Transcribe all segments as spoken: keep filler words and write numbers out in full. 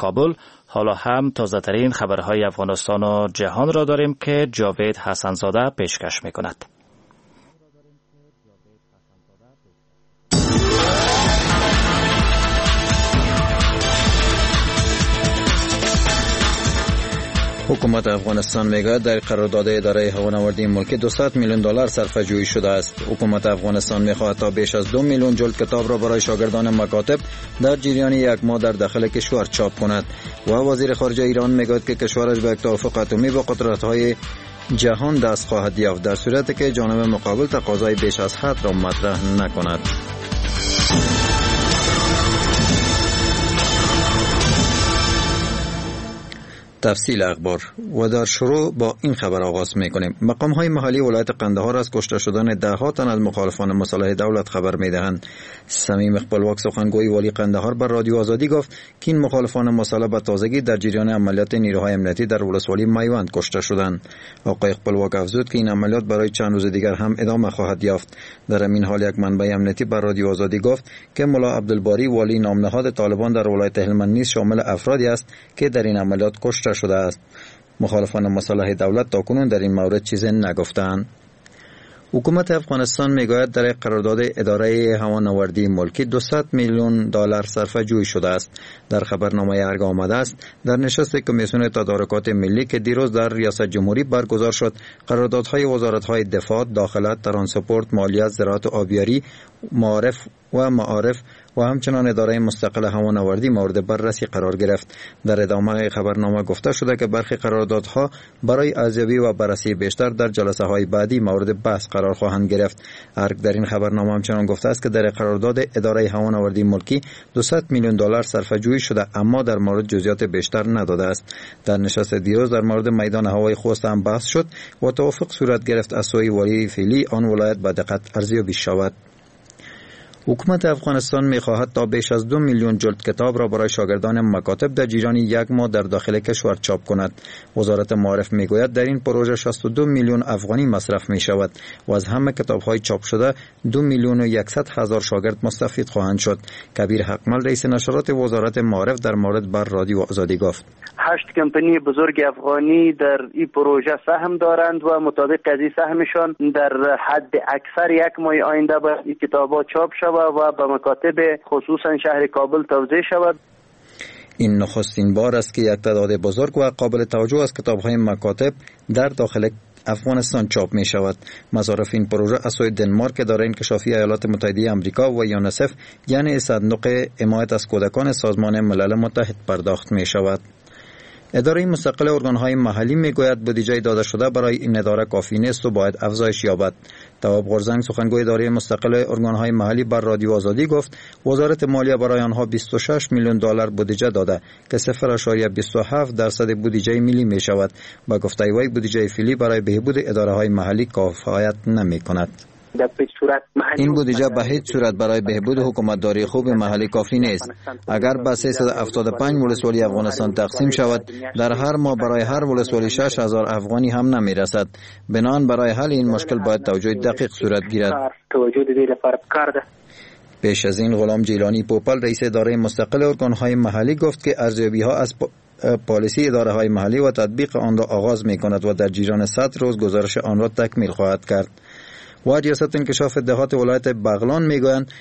کابل. حالا هم تازه ترین خبرهای افغانستان و جهان را داریم که جاوید حسنزاده پیشکش می کند. حکومت افغانستان میگوید در قرارداد اداره هوانوردی ملکی دویست میلیون دلار صرفه جویی شده است. حکومت افغانستان میخواهد تا بیش از دو میلیون جلد کتاب را برای شاگردان مکاتب در جریان یک ماه در داخل کشور چاپ کند. و وزیر خارجه ایران میگوید که کشورش به یک توافق اتمی با قدرت‌های جهان دست خواهد یافت در صورتی که جانب مقابل تقاضای بیش از حد را مطرح نکند. تفصیل اخبار و در شروع با این خبر آغاز میکنیم. مقام های محلی ولایت قندهار از کشته شدن ده ها تن از مخالفان مسلح دولت خبر میدهند. صمیم خپلواک سخنگوی والی قندهار بر رادیو آزادی گفت که این مخالفان مسلح به تازگی در جریان عملیات نیروهای امنیتی در ولسوالی میوند کشته شدند. آقای خپلواک افزود که این عملیات برای چند روز دیگر هم ادامه خواهد یافت. در همین حال یک منبع امنیتی بر رادیو آزادی گفت که ملا عبدالباری والی نامنهاد طالبان در ولایت هلمند نیز شامل افرادی است که در این عملیات کشته شده است. مخالفان مسلح دولت تاکنون در این مورد چیزی نگفتند. حکومت افغانستان میگوید در قرارداد اداره هوانوردی ملکی دویست میلیون دلار صرفه جویی شده است. در خبرنامه ارگ آمده است در نشست کمیسیون تدارکات ملی که دیروز در ریاست جمهوری برگزار شد، قراردادهای وزارت‌های دفاع، داخله، ترانسپورت، مالیات، زراعت و آبیاری، معارف و معارف و همچنان اداره مستقل هوانوردی مورد بررسی قرار گرفت. در ادامه خبرنامه گفته شده که برخی قراردادها برای ارزیابی و بررسی بیشتر در جلسه های بعدی مورد بحث قرار خواهند گرفت. ارگ در این خبرنامه همچنان گفته است که در قرارداد اداره هوانوردی ملکی دویست میلیون دلار صرفه جویی شده، اما در مورد جزئیات بیشتر نداده است. در نشست دیروز در مورد میدان هوای خوست هم بحث شد و توافق صورت گرفت از سوی والی فعلی آن ولایت به دقت ارزیابی شود. حکومت افغانستان می‌خواهد تا بیش از دو میلیون جلد کتاب را برای شاگردان مکاتب در جریان یک ماه در داخل کشور چاپ کند. وزارت معارف می‌گوید در این پروژه شصت و دو میلیون افغانی مصرف می‌شود و از همه کتاب‌های چاپ شده دو میلیون و یکصد هزار شاگرد مستفید خواهند شد. کبیر حقمل رئیس نشرات وزارت معارف در مورد بر رادیو آزادی گفت: هشت کمپانی بزرگ افغانی در این پروژه سهم دارند و مطابق از این سهمشان در حد اکثر یک ماه آینده باید این کتاب‌ها چاپ شود و به مکاتب خصوصا شهر کابل توزیع شود. این نخستین بار است که یک تعداد بزرگ و قابل توجه از کتاب‌های مکاتب در داخل افغانستان چاپ می شود. مصارف این پروژه از سوی دنمارک، اداره انکشافی ایالات متحده آمریکا و یونیسف یعنی صندوق حمایت از کودکان سازمان ملل متحد پرداخت می شود. اداره مستقل ارگان‌های محلی میگوید بودجه داده شده برای این اداره کافی نیست و باید افزایش یابد. تواب غرزنگ سخنگوی اداره مستقل ارگان‌های محلی بر رادیو آزادی گفت وزارت مالیه برای آنها بیست و شش میلیون دلار بودجه داده که صفر اعشاریه بیست و هفت درصد بودجه ملی می شود. با گفته وی بودجه فعلی برای بهبود اداره‌های محلی کفایت نمی کند. این بودجه به هیچ صورت برای بهبود حکومتداری خوب محلی کافی نیست. اگر به سیصد و هفتاد و پنج ولسوالی افغانستان تقسیم شود، در هر ماه برای هر ولسوالی شش هزار افغانی هم نمی رسد. بنابراین برای حل این مشکل باید توجه دقیق صورت گیرد. پیش از این غلام جیلانی پوپل رئیس اداره مستقل ارگان‌های محلی گفت که ارزیابی ها از پالیسی اداره های محلی و تطبیق آن را آغاز می کند و در جریان صد روز گزارش آن را تکمیل خواهد کرد. و ریاست انکشاف دهات ولایت بغلان میگویند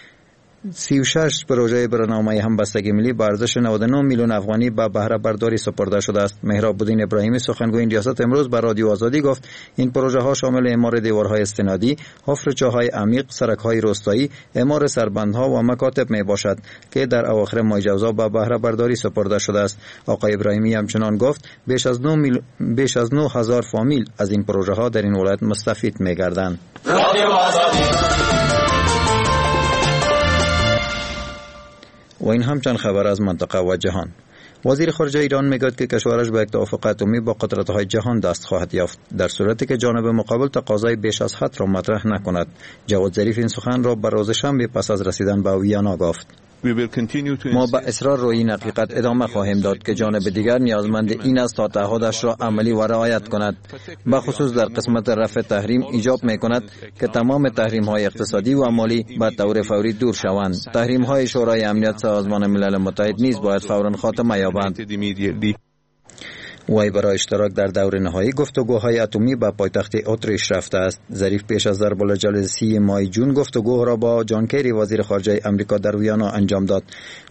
سی و شش پروژه برنامه همبستگی ملی به ارزش نود و نه میلیون افغانی به بهره برداری سپرده شده است. مهراب الدین ابراهیمی سخنگوی این ریاست امروز بر رادیو آزادی گفت این پروژه ها شامل اعمار دیوارهای استنادی، حفر چاه‌های عمیق، سرک‌های روستایی، اعمار سربندها و مکاتب می باشد که در اواخر ماه جوزا به بهره برداری سپرده شده است. آقای ابراهیمی همچنان گفت بیش از نه میل... بیش از نه هزار فامیل از این پروژه ها در این ولایت مستفید می گردند. و این هم چند خبر از منطقه و جهان. وزیر خارجه ایران میگوید که کشورش به یک توافق اتمی با قدرت‌های جهان دست خواهد یافت در صورتی که جانب مقابل تقاضای بیش از حد را مطرح نکند. جواد ظریف این سخن را بر روز شنبه پس از رسیدن به ویانا گفت. ما به اصرار روی این حقیقت ادامه خواهیم داد که جانب دیگر نیازمند این است تا تعهدش را عملی و رعایت کند. به خصوص در قسمت رفع تحریم ایجاب می کند که تمام تحریم های اقتصادی و مالی به طور فوری دور شوند. تحریم های شورای امنیت سازمان ملل متحد نیز باید فوراً خاتمه یابند. وی برای اشتراک در دور نهایی گفتگوهای اتمی به پایتخت اتریش رفته است. ظریف پیش از ضرب الاجل سی ماه جون گفتگو را با جان کری وزیر خارجه امریکا در ویانا انجام داد.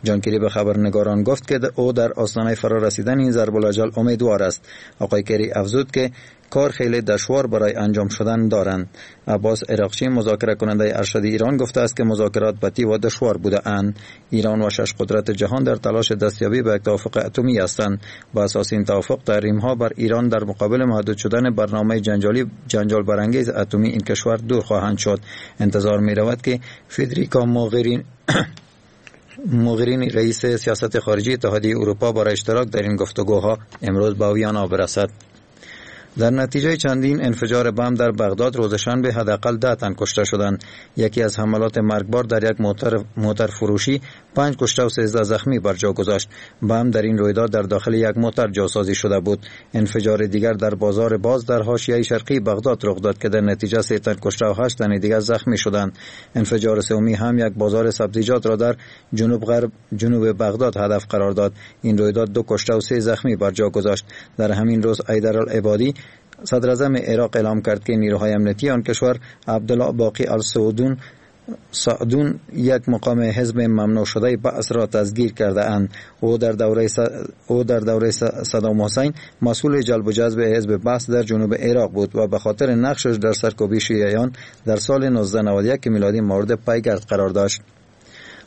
جان کری به خبرنگاران گفت که او در آستانه فرارسیدن این ضرب الاجل امیدوار است. آقای کری افزود که کار خیلی دشوار برای انجام شدن دارند. عباس عراقچی مذاکره کننده ارشد ایران گفته است که مذاکرات بطی و دشوار بوده اند. ایران و شش قدرت جهان در تلاش دستیابی به یک توافق اتمی هستند. با اساس این توافق تحریم ها بر ایران در مقابل محدود شدن برنامه جنجالی جنجال برانگیز اتمی این کشور دور خواهند شد. انتظار می رود که فدریکا موغرین موغرینی رئیس سیاست خارجی اتحادیه اروپا برای اشتراک در این گفتگوها امروز به ویانا برسد. در نتیجه چندین انفجار بم در بغداد روز شنبه حداقل ده تن کشته شدند. یکی از حملات مرگبار در یک موتر موتر فروشی پنج کشته و سیزده زخمی بر جا گذاشت. بم در این رویداد در داخل یک موتر جاسازی شده بود. انفجار دیگر در بازار باز در حاشیه شرقی بغداد رخ داد که در نتیجه سه تن کشته و هشت تن دیگر زخمی شدند. انفجار سومی هم یک بازار سبزیجات را در جنوب غرب جنوب بغداد هدف قرار داد. این رویداد دو کشته و سه زخمی بر جا گذاشت. در همین روز حیدر العبادی صدر اعظم عراق اعلام کرد که نیروهای امنیتی آن کشور عبدالله باقی السعودون سعدون یک مقام حزب ممنوع شده بعث را دستگیر کرده اند. او در دوره س... او در دوره صدام حسین مسئول جلب و جذب حزب بعث در جنوب عراق بود و به خاطر نقشش در سرکوبی شیعیان در سال نوزده نود و یک میلادی مورد پیگرد قرار داشت.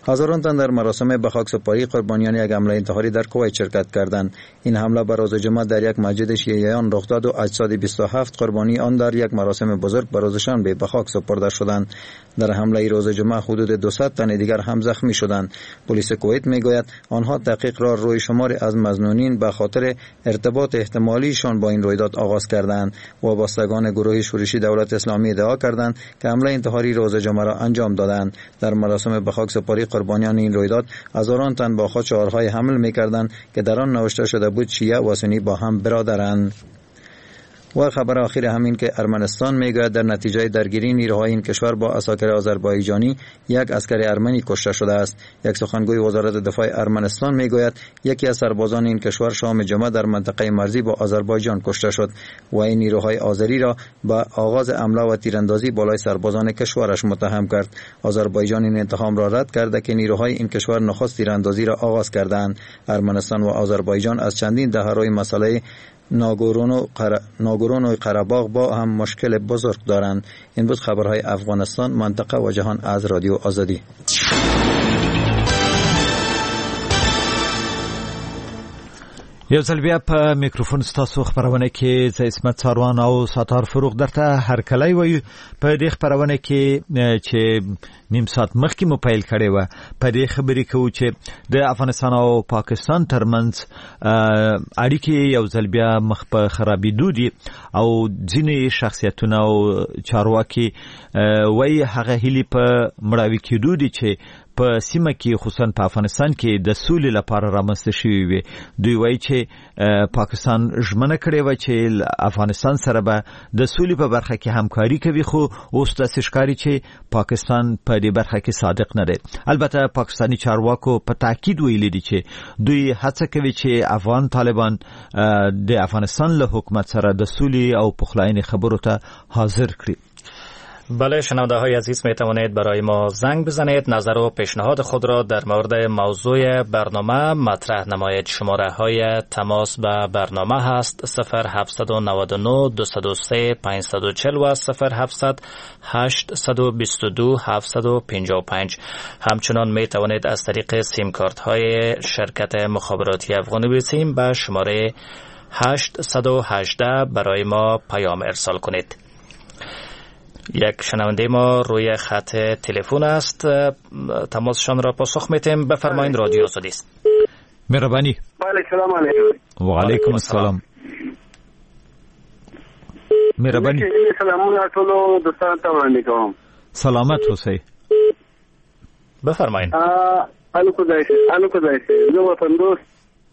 هزاران تن در مراسم به خاک سپاری قربانیان یک حمله انتحاری در کویت شرکت کردند. این حمله بر روز جمعه در یک مسجد شیعیان رخ داد و اجساد بیست و هفت قربانی آن در یک مراسم بزرگ بر روز شنبه به خاک سپرده شدند. در حمله روز جمعه حدود دویست تن دیگر هم زخمی شدند. پلیس کویت میگوید آنها تحقیق را روی شماری از مظنونین به خاطر ارتباط احتمالیشان با این رویداد آغاز کردند. وابستگان گروه شورشی دولت اسلامی ادعا کردند که حمله انتحاری روز جمعه را انجام دادند. در مراسم به خاک سپاری قربانیان این رویداد هزاران تن با خود شعارهای حمل می‌کردند که در آن نوشته شده بود شیعه و سنی با هم برادرند. و خبر آخر همین که ارمنستان میگوید در نتیجه درگیری نیروهای این کشور با عساکر آذربایجانی یک عسکر ارمنی کشته شده است. یک سخنگوی وزارت دفاع ارمنستان میگوید یکی از سربازان این کشور شام جمعه در منطقه مرزی با آذربایجان کشته شد و این نیروهای آذری را به آغاز حمله و تیراندازی بالای سربازان کشورش متهم کرد. آذربایجان این اتهام را رد کرده که نیروهای این کشور نخست تیراندازی را آغاز کردند. ارمنستان و آذربایجان از چندین دهه روی مسئله ناگورونو قره... ناگورونو قره‌باغ با هم مشکل بزرگ دارند. این بود خبرهای افغانستان، منطقه و جهان از رادیو آزادی. یو ځل بیا په میکروفون ستاسو خپرونه کې زه عصمت څاروان او ستار فروغ درته هرکلی وایو. په دې خپرونه کې چې نیم ساعت مخکې مو پیل کړې وه، په دې خبرې کوو چې د افغانستان او پاکستان ترمنځ اړیکې یو ځل بیا مخ په خرابېدو دي او ځینې شخصیتونه او چارواکي وایي هغه هیلې په مړاوي کېدو دي چې په سیمه کې خصوصا په افغانستان کې د سولې لپاره رامنځته شوې وي. دوی وایي چې پاکستان ژمنه کړې وه چې افغانستان سره به د سولې په برخه کې همکاري کوي، خو اوس داسې ښکاري چې پاکستان په دې برخه کې صادق نه دی. البته پاکستاني چارواکو په تاکید ویلي دي چې دوی هڅه کوي چې افغان طالبان د افغانستان له حکومت سره د سولې او پخلاینې خبرو ته حاضر کړي. بله شنونده های عزیز، می توانید برای ما زنگ بزنید، نظر و پیشنهاد خود را در مورد موضوع برنامه مطرح نمایید. شماره های تماس به برنامه هست صفر هفت نه نه دو صفر سه پنج چهار و صفر هفت هشت دو دو هفت پنج پنج. همچنان می توانید از طریق سیم کارت های شرکت مخابراتی افغانی سیم به شماره هشت یک هشت برای ما پیام ارسال کنید. یک شنونده ما روی خط تلفن است، تماسشان را پاسخ میتیم. بفرمایید، رادیو آزادی است. مهربانی. بله، سلام علیکم. و علیکم السلام. مهربانی. سلامونه ټولو دوستانو ته وړاندې کوم. سلامت اوسئ. بفرمایید. الو خدای شه، الو خدای شه. زه وطن دوست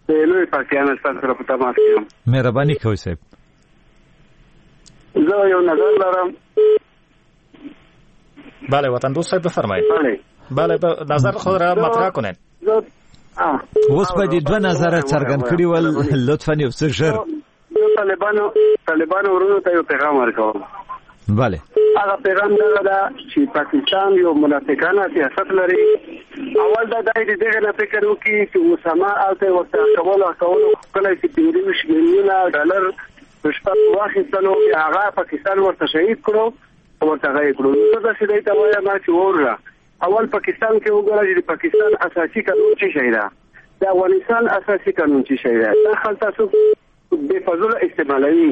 د لوی پاکستان سره په تماس کې یم. مهرباني کوئ صاحب. زه یو نظر لرم. بله وطن دوست صاحب بفرمایید. بله بله، نظر خود را مطرح کنید. اوس به دې دوه نظره څرګند کړي ول، لطفاً یو څه ژر. زه طالبانو طالبانو ورونو ته یو پیغام ورکوم. بله، هغه پیغام دغه ده چې پاکستان یو منافقانه سیاست لري. اول دا دی چې دغه نه فکر وکړي چې اسامه هلته ورته کولو کولو کله چې پنځه ویشت میلیونه ډالر په شپه واخیستلو، بیا هغه پاکستان ورته شهید کړو، ورته غیب کړو. نو زه داسې دی ته وایم چې وروره اول پاکستان کې وګوره چې د پاکستان اساسي قانون څه شی ده، د افغانستان اساسي قانون څه شی ده. دا خلک تاسو بې فضوله استعمالوي،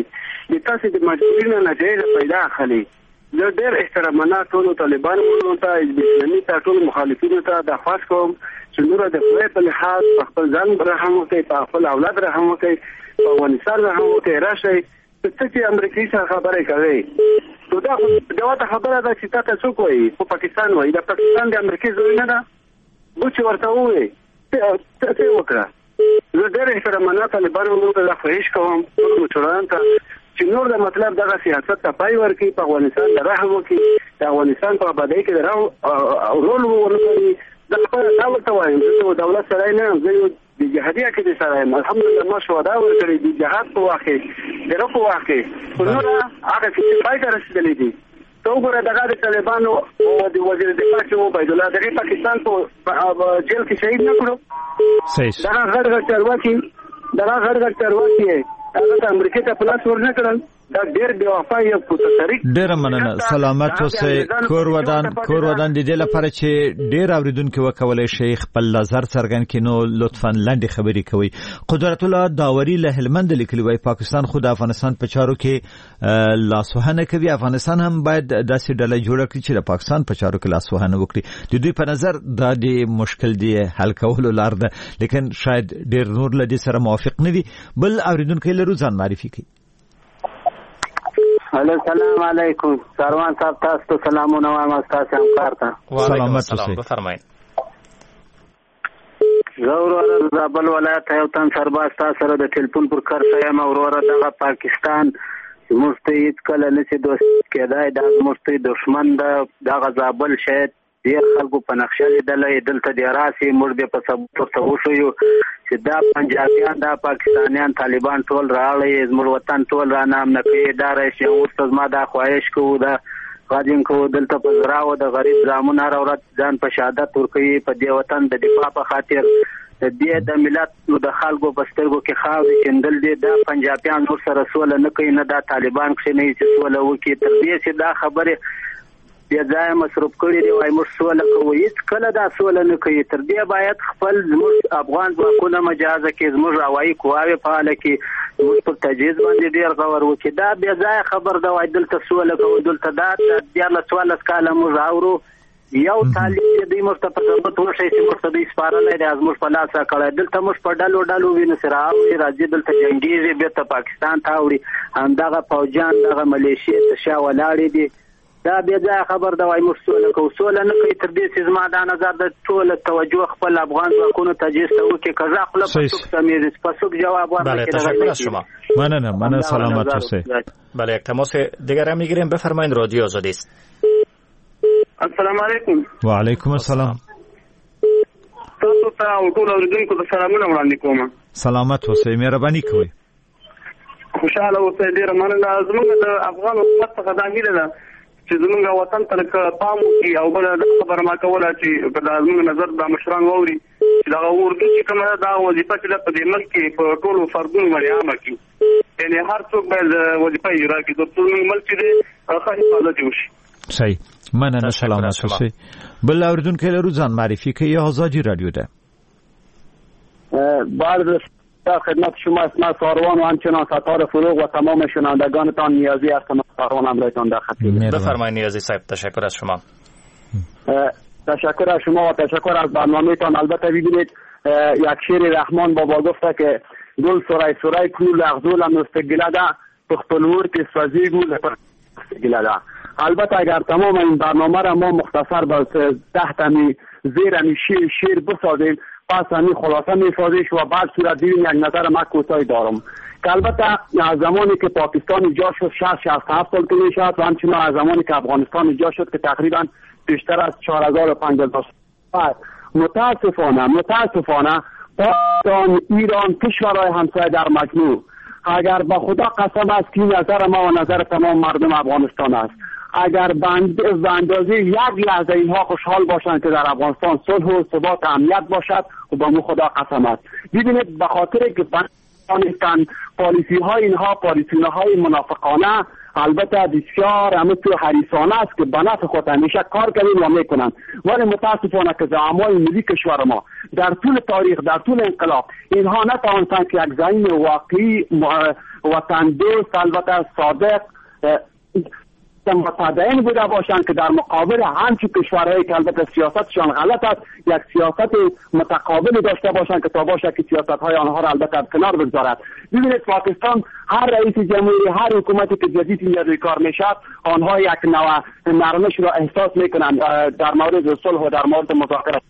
د تاسو د مجبوري نه ناجایزه پیدا اخلي. زه ډېر احترامانه ټولو طالبانو ورونو ته، حزب اسلامي ته، ټولو مخالفینو ته درخواست کوم چې نوره د خدای په لحاظ په خپل ځان رحم وکړئ، په خپل اولاد رحم وکړئ، په افغانستان رحم وکړئ. راشئ ته چې امریکې سره خبرې کوي، نو دا خو جواته خبره ده چې تا ته څوک وایي؟ خو پاکستان وایي. دا پاکستان د امریکې زوی نه ده، بوچ ورته ووایي څه وکړه. زه ډېر احترامانه طالبانو ورونو ته دا خواهش کوم، ټولو مشرانو ته چې نور د مطلب دغه سیاست ته پای ورکړي، په افغانستان د رحم وکړي، د افغانستان په آبادۍ کې د رول ورکړي. زه خپله دا ورته وایم، زه یو دولت سړی نه یم، زه یو د جهادي عقیدې سره یم. الحمدلله ما شهدا ورکړي د جهاد په وخت کې، د رب په وخت کې. خو نوره هغه کیسې پای ته رسېدلې دي. ته وګوره دغه د طالبانو او د وزیر دفاع چې عبیدالله دغه پاکستان په جیل کې شهید نه کړو. دغه غټ غټ چارواکي، دغه غټ غټ چارواکي هغه ته امریکې ته په لاس ورنه کړل. دا ډېر بې وفا یو متشرک. ډېره مننه، سلامت اوسئ. کور ودان، کور ودان. د دې لپاره چې ډېر اورېدونکي وکولی شي خپل نظر څرګند کړي، نو لطفاً لنډې خبرې کوئ. قدرت الله داوري له هلمند لیکلي وایي پاکستان خو د افغانستان په چارو کې لاسوهنه کوي، افغانستان هم باید داسې ډله جوړه کړي چې د پاکستان په چارو کې لاسوهنه وکړي. د دوی په نظر دا د مشکل دی حل کولو لار ده، لیکن شاید ډېر نور له دې سره موافق نه وي. بل اورېدونکی لرو، ځان معرفي کوي. الو سلام علیکم ساروان صاحب، تاسو ته سلامونه وایم، ستاسو همکار ته. سلامت اوسئ، بفرمایئ. زه وروره د زابل ولایت یو تن سرباز تاسو سره د ټلیفون پر کرښه یم. وروره دغه پاکستان زموږ ته هېڅکله نه شي دوست کېدای، دا زموږ ته دښمن ده. دغه زابل شاید ډېر خلکو په نقشه لیدلی، دلته دې راسي، موږ بیا په ثبوت ورته وښیو چې دا پنجابیان، دا پاکستانیان، طالبان ټول راغلي، زموږ وطن ټول را نامنه کوي. دا راشي اوس ته زما دا خواهش کوو، دا غږ کوو، دلته په زراو د غریب زامن هره ورځ ځان په شهادت ورکوي په دې وطن د دفاع په خاطر. د دې د ملت د خلکو په سترګو کې خاورې شیندل دي. دا پنجابیان نور سره سوله نه کوي، نه دا طالبان کښېنوي چې سوله وکړي. تر دې چې دا خبرې بې ځایه مصروف کړي دي، وایي موږ سوله کوو، هېڅکله دا سوله نه کوي. تر دې باید خپل زموږ افغان ځواکونه مجازه کړي، زموږ هوایي قواوې فعاله کړي، زموږ پر تجهیز باندې ډېر غور وکړي. دا بې ځایه خبر ده، وایي دلته سوله کوو، دلته دا دیارلس څوارلس کاله موږ اورو. یو طالب چې دوی موږ ته په ثبوت وښیي چې موږ ته دوی سپارلی دی، زموږ په لاس راکړی. دلته موږ په ډلو ډلو وینو چې رااوړي، راځي دلته جنګېږي، بېرته پاکستان ته اوړي. همدغه پوځیان، دغه ملیشې تر شا ولاړې دي. دا بې ځایه خبر ده، وایي موږ سوله کوو، سوله نه کوي. تر دې چې زما دا نظر د ټوله توجه خپل افغان ځواکونو تجهیز ته وکړي. که زه خوله په څوک سمېږي، په څوک جواب ورنکړي. تشکر از شما. مننه، مننه، سلامت اوسئ. بله، یک تماس دیگر هم میگیریم. بفرمایید، رادیو آزادی است. السلام علیکم. و علیکم السلام. تاسو ته او ټولو اورېدونکو ته سلامونه وړاندې کوم. سلامت اوسئ، مهرباني کوئ. خوشحاله اوسئ، ډېره مننه. زموږ د افغان حکومت څخه دا هیله ده چې زموږ وطن ته لږ پام وکړي، او بله دا خبره ما کوله چې که دا زموږ نظر دا مشران واوري چې دغه اردو چې کومه ده، دا وظیفه چې ده په دې ملک کې په ټولو فردونو باندې عامه کړي، یعنې هر څوک باید وظیفه اجرا کړي، تر څو زموږ ملک چې دی ښه حفاظت یې وشي. صحیح، مننه، سلامت اوسئ. بل اوریدونکی لرو، ځان معرفي کوي، ازادي رادیو ده. بعد در خدمت شما اسم ساروان و همچنان ستار فروغ و تمام شنوندگانتان نیازی هستم. ساروان همراهتان در خدمت. بفرمایید نیازی صاحب، تشکر از شما. تشکر از شما و تشکر از برنامه‌تان. البته ببینید یک شعر رحمان بابا گفته که گل سرای سرای کړو لغزولم نو ستګله ده، په خپل ور کې سوځېږو ګله ده. البته اگر تمام این برنامه را ما مختصر به ده تمی زیر همی شیر, شیر بسازیم، پس همی خلاصه میسازیش و بعد صورت دیدیم یک نظر ما کوتاهی دارم که البته از زمانی که پاکستان ایجاد شد شصت شصت و هفت سال که میشد و همچنین از زمانی که افغانستان ایجاد شد که تقریبا بیشتر از چهار هزار و پنج هزار سال، متاسفانه متاسفانه پاکستان، ایران، کشورهای همسایه در مجموع، اگر با خدا قسم است که نظر ما و نظر تمام مردم افغانستان است، اگر به اندازه یک لحظه اینها خوشحال باشند که در افغانستان صلح و ثبات و امنیت باشد و با مو خدا قسم است. ببینید به خاطر که نیستند پالیسی های اینها پالیسی های منافقانه، البته بسیار همه تو حریصانه است که به نفع خود همیشه کار کردیم و میکنند، ولی متاسفانه که زعمای ملی کشور ما در طول تاریخ، در طول انقلاب، اینها نتوانستند که یک زعیم واقعی وطن دوست، البته صادق، متدین بوده باشند که در مقابل همچون کشورهایی که البته سیاستشان غلط است یک سیاست متقابل داشته باشند که تا باشه که سیاست‌های آنها را البته کنار بگذارد. ببینید پاکستان هر رئیس جمهوری، هر حکومتی که جدید اینجا روی کار میشد، آنها یک نوع نرمش را احساس میکنند در مورد صلح و در مورد مذاکره.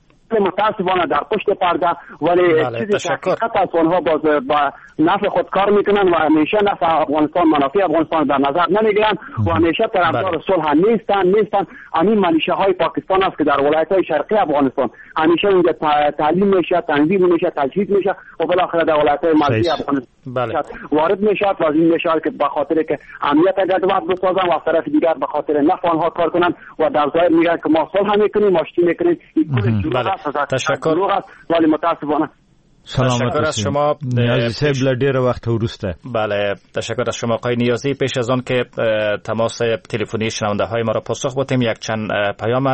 متاسفانه در پشت پرده ولی چیزی که حقیقت است آنها باز با نفع خود کار میکنن و همیشه نفع افغانستان، منافع افغانستان در نظر نمیگیرن و همیشه طرفدار صلح نیستن نیستن. همین ملیشه های پاکستان است که در ولایت های شرقی افغانستان همیشه اونجا تعلیم میشه، تنظیم میشه، تجهیز میشه و بالاخره در ولایت های مرزی افغانستان بله. وارد میشه و از این میشه که به خاطر که امنیت گډوډ بسازن و از طرف دیگر به خاطر نفع آنها کار کنن و در ظاهر میگن که ما صلح میکنیم، آشتی میکنیم. این بله. تشکر. ولی متاسفانه تشکر از شما نیازی صاحب له ډیره وخته وروسته. بله تشکر از شما آقای نیازی. پیش از آن که تماس تلفنی شنونده های ما را پاسخ بدیم یک چند پیام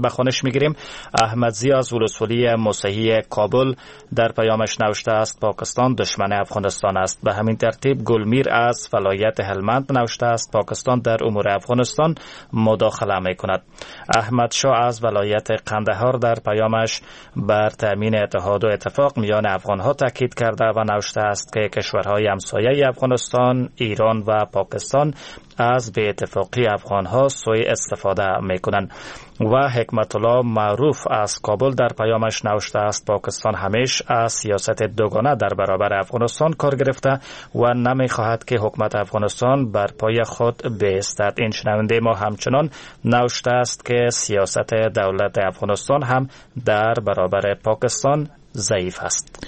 به خوانش میگیریم. احمد زیا از ولسوالی مسیحی کابل در پیامش نوشته است پاکستان دشمن افغانستان است. به همین ترتیب گلمیر از ولایت هلمند نوشته است پاکستان در امور افغانستان مداخله میکند. احمد شاه از ولایت قندهار در پیامش بر تامین اتحاد و اتفاق میان افغانها تاکید کرده و نوشته است که کشورهای همسایه افغانستان، ایران و پاکستان از بی اتفاقی افغانها سوء استفاده میکنند. و حکمت الله معروف از کابل در پیامش نوشته است پاکستان همیش از سیاست دوگانه در برابر افغانستان کار گرفته و نمیخواهد که حکومت افغانستان بر پای خود بایستد. این شنونده ما همچنان نوشته است که سیاست دولت افغانستان هم در برابر پاکستان ضعیف است.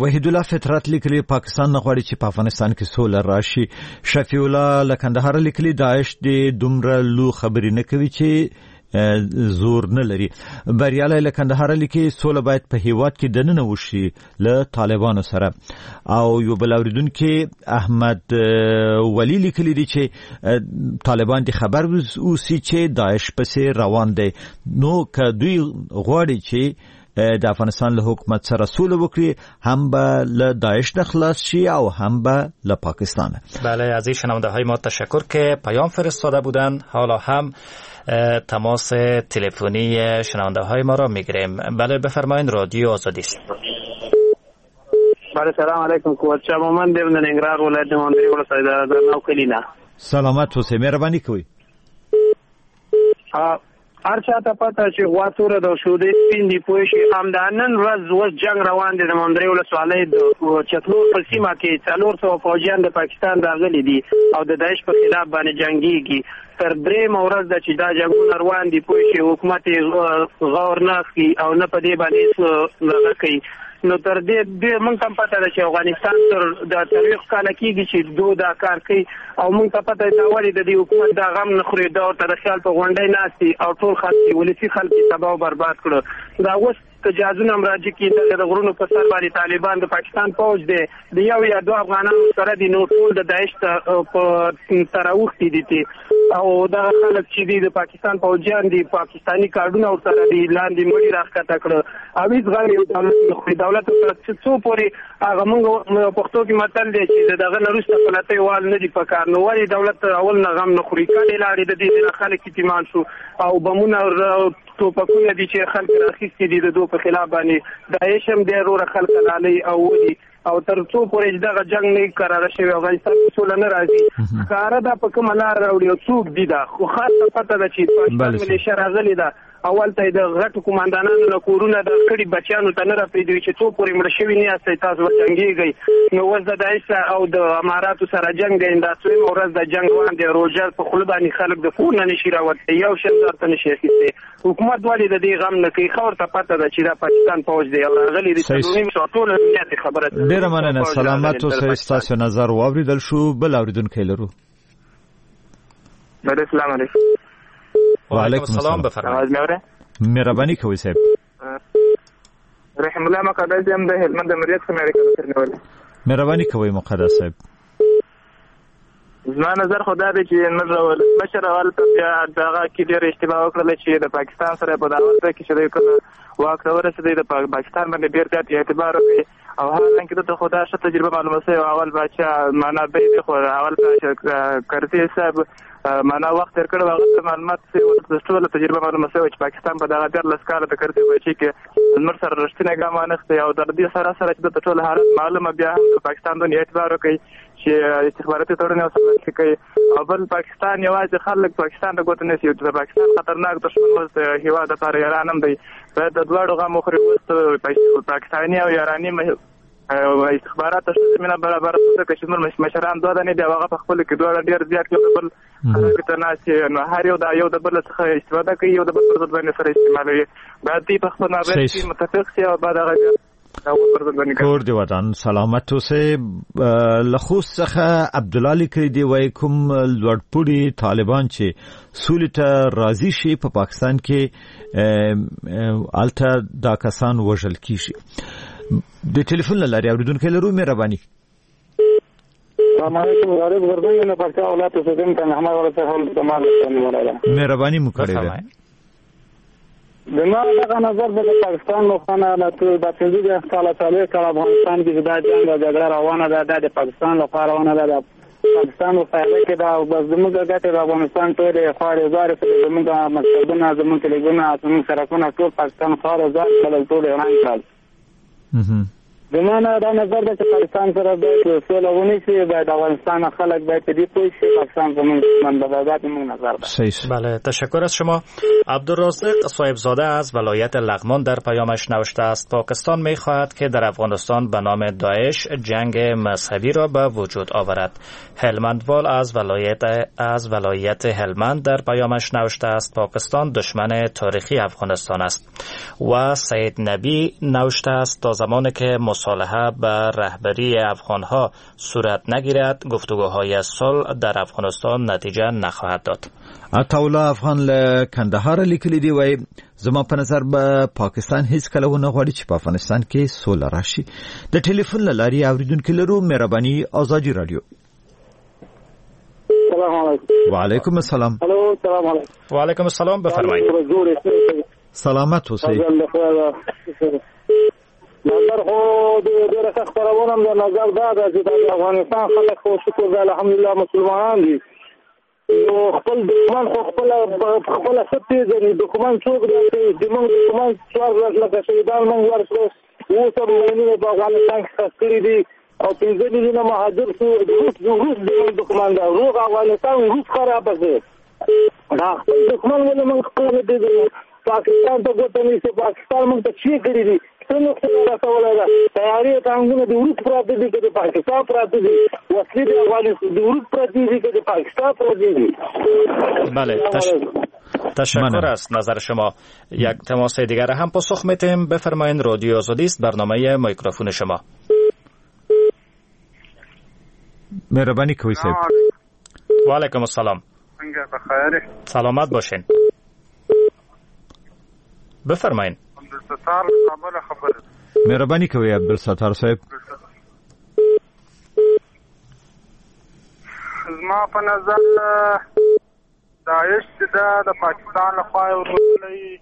وحیدالله فطرت لیکلی پاکستان نه غواړي چې په افغانستان کې سوله راشي. شفیع الله له کندهاره لیکلی داعش دې دومره لو خبرې نه کوي چې زور نه لري. بریالی له کندهاره لیکي سوله باید په هیواد کې دننه وشي له طالبانو سره. او یو بل اوریدونکي احمد ولی لیکلی دی چې طالبان دې خبر اوسي چې داعش پسې روان دی، نو که دوی غواړي چې د افغانستان له حکومت سره سوله وکړي هم به له داعش نه خلاص شي او هم به له پاکستان. بله از این شنونده های ما تشکر که پیام فرستاده بودن. حالا هم تماس تلفنی شنونده های ما را میگیریم. بله بفرمایید، رادیو آزادی است. بله سلام علیکم، قوت شما من د ننګرهار ولایت د مندري ولسوالۍ د نو کلینا. سلامت اوسئ، مهرباني کوئ. هر چاته پته چې غوا توره ده او شودې سپین دي، پوه شي. همدا نن ورځ اوس جنګ روان دی د مندري ولسوالۍ د چتلور په سیمه کې څلور سوه فوجیان د پاکستان راغلي دي او د داعش په خلاف باندې جنګیږي. تر درېیمه ورځ ده چې دا جنګونه روان دي، پوه شي. حکومت یې غور نه اخلي او نه په دې باندې هېڅ دغه کوي. نو تر دې دې موږ ته هم پته ده چې افغانستان تر د څلوېښت کاله کېږي چې دو دا کار کوي او موږ ته پته ده ولې د دې حکومت دا غم نه خوري، دا ورته د خیال په غونډۍ ناست دي او ټول خلک یې ولسي خلک یې تباه او برباد کړو. دا اوس که جهازونه هم راجع کړي دلته د غرونو په سر باندې طالبان د پاکستان پوځ دی، د یو یا دوه افغانانو سره دي، نو ټول د داعش ته په تر اوښتي دي. او دغه خلک چې دي د پاکستان پوځیان دي، پاکستاني کارډونه ورسره دي، لاندې مړي راښکته کړه او هېڅ غم یې دولت نه خوري. دولت ورسره څو پورې هغه موږ پښتو کې متل دی چې د دغه نه وروسته پلتۍ وال نه دي په کار، نو ولې دولت اول نه غم نه خوري؟ کلې لاړې د دې نه خلک یتیمان شو او بمونه ټوپکونه دي چې خلک راخیستي دي د دوی په خلاف باندې. داعش هم دی وروره خلک لالي او ولي او تر څو پورې چې دغه جنګ نه کراره شوی افغانستان کې سوله نه راځي. ښکاره دا په کومه لار راوړي او څوک دي دا خو خاصه پته ده چې پاکستان ملیشه راغلې ده. اول ته د غټو قوماندانانو له کورونه د کړي بچیانو ته نه راپرېږدي چې څو پورې مړه شوي نه یاستئ تاسو به جنګېږئ. نو اوس د داعش او د اماراتو سره جنګ دی، دا څویمه ورځ د جنګ روان دی. روژه په خوله باندې خلک د کور نه نشي راوتلی، یو شل ورته نشي اخیستی. حکومت ولې د دې غم نه کوي؟ ښه ورته پته ده چې دا پاکستان پوځ دی او راغلي دي. څلور نیم سوه ټول امنیتي خبره ده. ډېره مننه، سلامت اوسئ. ستاسو نظر واورېدل شو. بل اورېدونکی لرو. السلام علیکم. وعلیکم السلام. بفرمایئ. مهرباني کوئ صاحب. رحم الله مقدس یم د هلمند د مریت څخه مې اړیکه مهرباني کوئ مقدس صاحب. زما نظر خو دا دی چې موږ ولسمشر اول ته بیا دغه کې ډېره اشتباه وکړله چې د پاکستان سره په دعوت کې چې دی کله واک ته ورسېدی د پاکستان باندې ډېر زیات اعتبار وکړي او حالانکه ده ته خو دا ښه تجربه معلومه شوې وه. اول باچا معنا دی دی خو اول باچا کرزي صاحب معنا وخت تېر کړی و، هغه ته معلومات سوي وو، ټوله تجربه معلومه شوې وه چې پاکستان په دغه دیارلس کاله د کرزي باچا کې زموږ سره رښتینی ګام وانخیستی او تر دې سره سره چې ده ته ټول حالت معلومه بیا هم د پاکستان دونه اعتبار وکړي چې استخباراتي تړون یې ورسره لاسلیک کوي. او بل پاکستان یوازې خلک پاکستان ته ګوته نیسي، د پاکستان خطرناک دښمن اوس د هېواد لپاره ایران هم دی، باید د دواړو غم وخوري. اوس پاکستاني او ایراني استخبارات ته ښه زمینه برابره شوه، ځکه چې زموږ مشران دوه دانې دي او هغه په خپلو کې دواړه ډېر زیات یو د بل خرابي ته ناست دي، نو هر یو د یو د بل څخه استفاده کوي، یو د بل پر ضد باندې سره استعمالوي. باید دوی په خپل مابین کې متفق شي او باید هغه کور دی ودان. سلامت اوسئ. له خوست څخه عبدالله لیکلي دی، وایي کوم لوړپوړي طالبان چې سولې ته راضي شي په پاکستان کې هلته دا کسان وژل کیږي. د ټلیفون له لارې اورېدونکی لرو. مهرباني. السلام علیکم. غریب غربي نه پکتیا ولایت اوسېدونکی احمد ولایت مهرباني مو کړې ده. زما دغه نظر د پاکستان لخوا نه د پنځه دېرش کاله څلوېښت کاله افغانستان کې چې دا جنګ او جګړه روانه ده، دا د پاکستان لخوا روانه ده، د پاکستان په فایده کې ده. بس زموږ ګټې د افغانستان ټولې خوارې زارې سوې، زموږ مکتبونه، زموږ کلیګونه، زموږ سړکونه ټول پاکستان خوارې زار کړل، ټول یې وران کړل. زما نه دا نظر ده چې پاکستان سره باید سوله ونیسي، باید افغانستان خلک باید په دې پوه شي پاکستان زموږ دښمن ده. دا زموږ نظر ده. بله، تشکر از شما. عبدالرازق صاحبزاده از ولایت لغمان در پیامش نوشته است: پاکستان میخواهد که در افغانستان به نام داعش جنگ مذهبی را به وجود آورد. هلمندوال از ولایت از ولایت هلمند در پیامش نوشته است: پاکستان دشمن تاریخی افغانستان است. و سید نبی نوشته است: تا زمانی که مصالحه به رهبری افغانها صورت نگیرد گفتگوهای صلح در افغانستان نتیجه نخواهد داد. عطاالله افغان له کندهار لیکلي دی، وایي زما په نظر به پاکستان هیڅ کله ونه غواړي چې په افغانستان کې سوله راشي. د ټلیفون له لارې اورېدونکي لرو. مهرباني. ازادي رادیو. السلام علیکم. وعلیکم السلام. الو، السلام علیکم. وعلیکم السلام. بفرمایئ. سلامت اوسئ. نظر خو د ډېره ښه خپرونه هم ده. نظر دا ده چې د افغانستان خلک خو شکر ده الحمدلله مسلمانان دي، نو خپل دښمن خو خپله خپله ښه پېژني. دښمن څوک دی؟ زموږ دښمن څوارلس لکه شهیدان موږ ورکړو، اوس هم میلیونه په افغانستان کې ښخ کړي دي او پنځه میلیونه مهاجر شو. روس روس زموږ دښمن ده، روغ افغانستان روس خرابه شو. دا خپل دښمن ولې موږ خپله نه پېژنو؟ پاکستان ته ګوته نیسو، پاکستان موږ ته څه کړي دي؟ څه نقصان رسولی ده؟ طیارې ټانګونه د روس پراته دي که د پاکستان پراته دي؟ وسلې د افغانستان د روس پرتې دي که د پاکستان پرتې دي؟ بله، تش... تشکر از نظر شما. یک تماس دیگر هم پاسخ میتیم. بفرمایید. رادیو آزادی است، برنامه میکروفون شما. مهرباني کوئ صاحب. و علیکم السلام. سلامت باشین. بفرمایید. عبدالستار کابل خبر. مهرباني کوئ عبدالستار صاحب. زما په نظر داعش چې ده د پاکستان لخوا یې روزلی،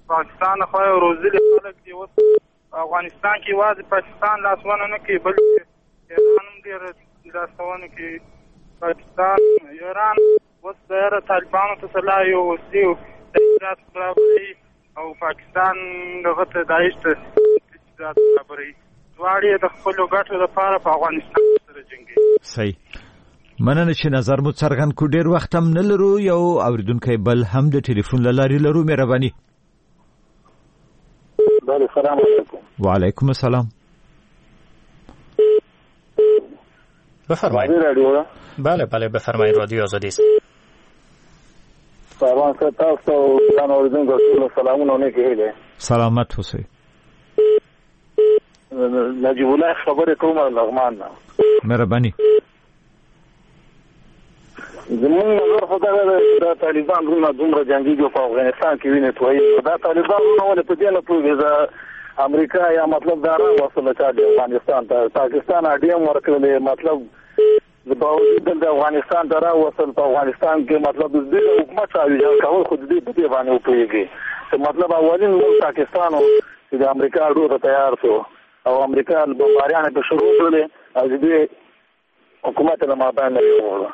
پاکستان لخوا یې روزلي خلک دي. اوس افغانستان کې یوازې پاکستان لاسوهنه نه کوي، بلکې ایران هم ډېر لاسوهنه کوي. پاکستان ایران اوس د طالبانو ته سلاح یو وسلې تجهیزات برابروي او پاکستان دغه ته داعش ته تجهیزات برابروي. دواړې د خپلو ګټو لپاره په افغانستان سره جنګېږي. صحیح، مننه چې نظر مو څرګند کړ. ډېر وخت هم نه لرو، یو اورېدونکی بل هم د ټلیفون له لارې لرو. مهرباني. بله، سلام علیکم. وعلیکم السلام. بفرمایید. بله بله بفرمایید، رادیو آزادی است. سلام تاسو ګران اوریدونکو ټولو سلامونه او نیکې هیلې. سلامت اوسئ. نجیب الله خبرې کوم لغمان نه. مهرباني. زموږ نظر خو دغه دی چې دا طالبان وروڼه دومره جنګېږي په افغانستان کې وینې تویي، دا طالبان وروڼه ولې په دې نه پوهېږي د امریکا یا مطلب دا راوستله چا د افغانستان ته، پاکستان اډې هم ورکړلې، مطلب د باوجود دلته افغانستان ته راوستل، په افغانستان کې مطلب د دوی د حکومت سره ویجاړ کول خو د دوی په دې باندې وپوهېږي چې مطلب اولین ملک پاکستان و چې د امریکا اډو ته تیار شو او امریکا بمباریانې په شروع کړلې او د دوی حکومت له مابین نه یووړه.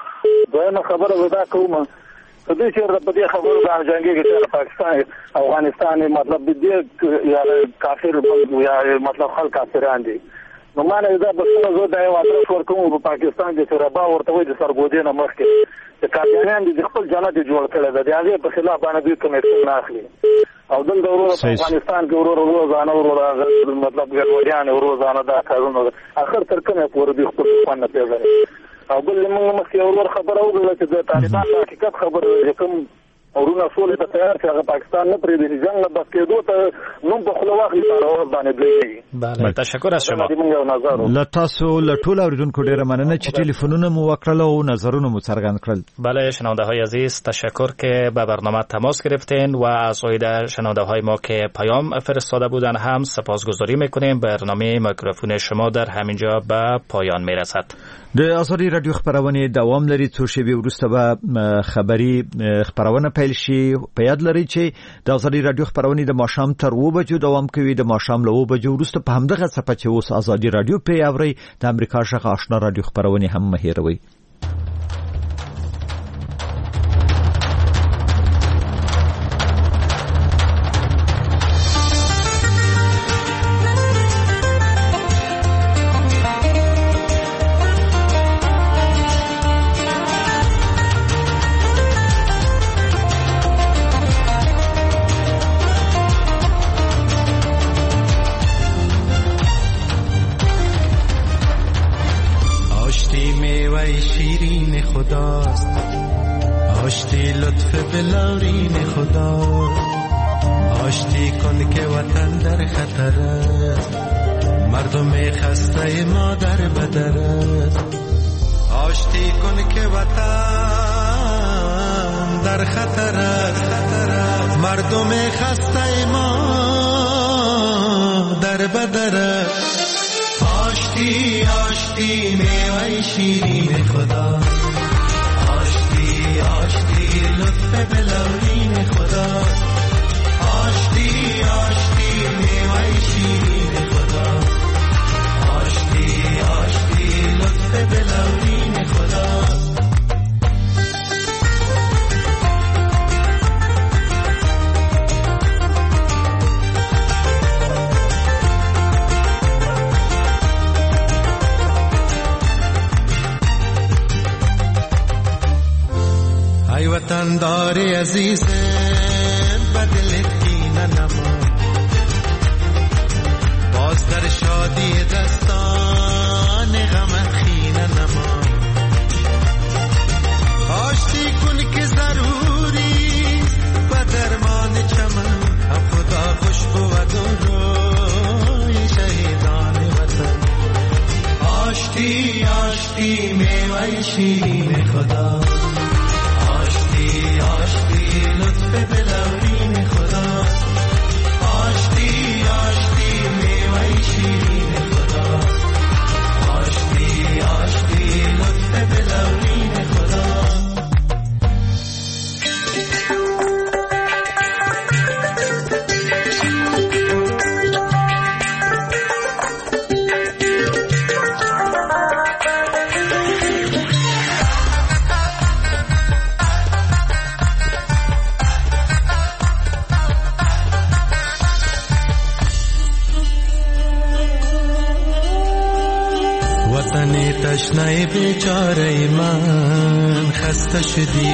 دویمه خبره زه دا کوم که دوی چېرته په دې خبرو باندې جنګېږي چې پاکستان افغانستان مطلب د دې یا کافر یا مطلب خلک کافران دي، نو ما نه دا بسنه زه دا یو ادرس ورکوم په پاکستان کې چې ربا ورته وایي د سرګودې نه مخکې چې قادیانیان دي د خپل جنت جوړ کړی دی، د هغې په خلاف باندې دوی کوم اکشن نه اخلي. او دلته وروره په افغانستان کې وروره روزانه وروره مطلب ګډوډیانې روزانه دا کارونه اخر تر کومه پورې دوی خپل دښمن نه پېژني. او بل موږ مخکې ورور خبره وکړه چې د طالبان د حقیقت خبره ده چې کوم وروڼه سولې ته تیار چې هغه پاکستان نه پرېږدي چې جنګ نه بس کېدو ته نوم په خوله واخلي په ورځ باندې دوی نه. بله، تشکر از شما. له تاسو له ټولو اورېدونکو ډېره مننه چې ټلیفونونه مو وکړل او نظرونه مو څرګند کړل. بله شنونده های عزیز، تشکر که به برنامه تماس گرفتین و از عایده شنونده های ما که پیام فرستاده بودن هم سپاسگزاری میکنیم. برنامه میکروفون شما در همینجا به پایان میرسد. د ازادي رادیو خپرونې دوام لري، څو شېبې وروسته به خبري خپرونه پیل شي. په یاد لرئ چې د ازادي رادیو خپرونې د ماښام تر اوو بجو دوام کوي. د ماښام له اوو بجو وروسته په همدغه څپه چې اوس ازادي رادیو پرې اورئ د امریکا غږ آشنا رادیو خپرونې هم مه هېروئ. آشتی لطف بلورین خدا، آشتی کن که وطن در خطر است، مردم خسته ما در بدر است. آشتی کن که وطن در خطر است، مردم خسته ما در بدر است. آشتی آشتی میوه شیرین خدا، آشتی آشتی لطف بلورین خدا، آشتی آشتی میوه شیرین خدا، آشتی آشتی لطف بلورین خدا. ای وطندار عزیز بدلت کینه نما، باز در شادی دستان غمت خینه نما. آشتی کن که ضروری به درمان چمن، خدا خوش بود و روی شهیدان وطن. آشتی آشتی میوه شیرین خدا، آشتی آشتی لطف بلورین خدا، آشتی آشتی میوه شیرین خدا، آشتی آشتی لطف بلورین خدا. وطن تشنه بیچاره من خسته شدی،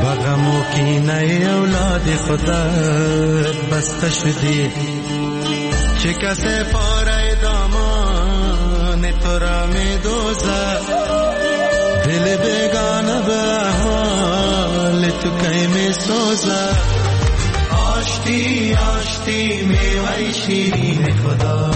به غم و کینه اولاد خودت بسته شدی. چه کسی پاره دامان تو را می دوزد، دل بیگانه به احوال تو کی می سوزد. آشتی آشتی میوه شیرین خدا.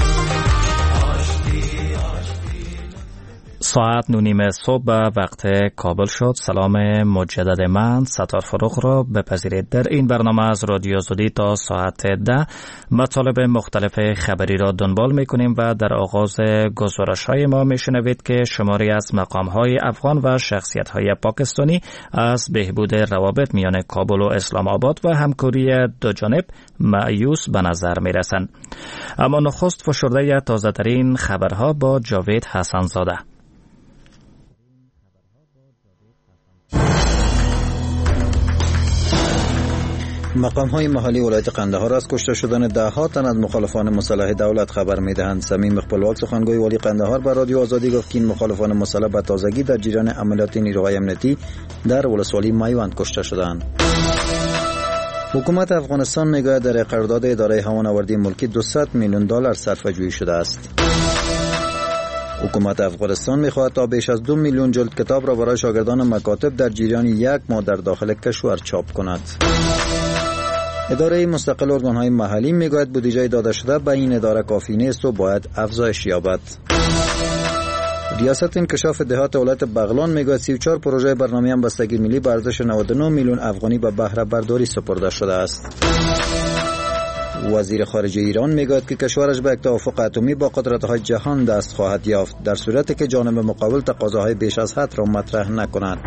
ساعت نه نیم صبح به وقت کابل شد. سلام مجدد من ستار فروغ را بپذیرید. در این برنامه از رادیو آزادی تا ساعت ده مطالب مختلف خبری را دنبال میکنیم و در آغاز گزارش های ما میشنوید که شماری از مقام های افغان و شخصیت های پاکستانی از بهبود روابط میان کابل و اسلام آباد و همکاری دو جانب مایوس به نظر میرسند. اما نخست فشرده تازه ترین خبرها با جاوید حسن زاده. مقام های محلی ولایت قندهار از کشته شدن ده ها تن از مخالفان مسلح دولت خبر می دهند. صمیم خپلواک سخنگوی والی قندهار بر رادیو آزادی گفت که این مخالفان مسلح به تازگی در جریان عملیات نیروهای امنیتی در ولسوالی میوند کشته شدند. حکومت افغانستان میگوید در قرارداد اداره هوانوردی ملکی دویست میلیون دلار صرفه جویی شده است. حکومت افغانستان میخواهد تا بیش از دو میلیون جلد کتاب را برای شاگردان مکاتب در جریان یک ماه در داخل کشور چاپ کند. اداره مستقل ارگان‌های محلی میگوید بودجه داده شده به این اداره کافی نیست و باید افزایش یابد. ریاست انکشاف دهات ولایت بغلان میگوید سی و چهار پروژه برنامه همبستگی ملی به ارزش نود و نه میلیون افغانی به بهره برداری سپرده شده است. وزیر خارجه ایران میگوید که کشورش به یک توافق اتمی با قدرت‌های جهان دست خواهد یافت در صورتی که جانب مقابل تقاضاهای بیش از حد را مطرح نکند.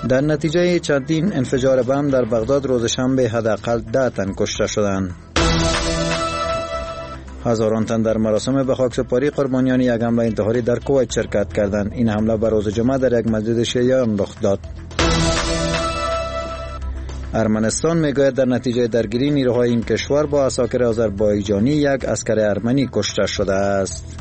در نتیجه چندین انفجار بم در بغداد روز شنبه حداقل ده تن کشته شدند. هزاران تن در مراسم به خاکسپاری قربانیان یک حمله انتحاری در کویت شرکت کردند. این حمله بر روز جمعه در یک مسجد شیعیان رخ داد. ارمنستان میگوید در نتیجه درگیری نیروهای این کشور با عساکر آذربایجانی یک عسکر ارمنی کشته شده است.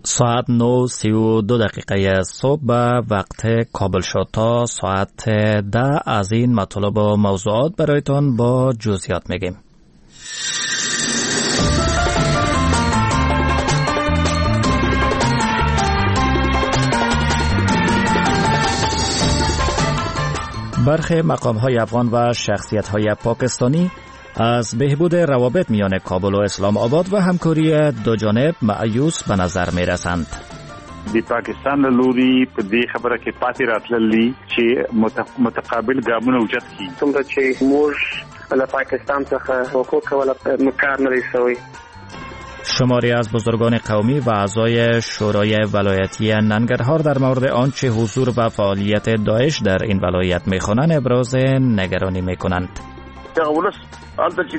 ساعت نه سی و دو دقیقه صبح به وقت کابل شد. تا ساعت ده از این مطالب و موضوعات برایتان با جزئیات میگیم. برخی مقام‌های افغان و شخصیت‌های پاکستانی از بهبود روابط میان کابل و اسلام آباد و همکاری دو جانب مایوس به نظر می رسند. د پاکستان له لوري په دې خبره کې پاتې راتللی چې متقابل ګامونه اوچت کړي. څومره چې موږ له پاکستان څخه توقع کوله کار نه دی شوی. شماری از بزرگان قومی و اعضای شورای ولایتی ننگرهار در مورد آنچه حضور و فعالیت داعش در این ولایت میخوانند ابراز نگرانی میکنند. دغه ولس هلته چې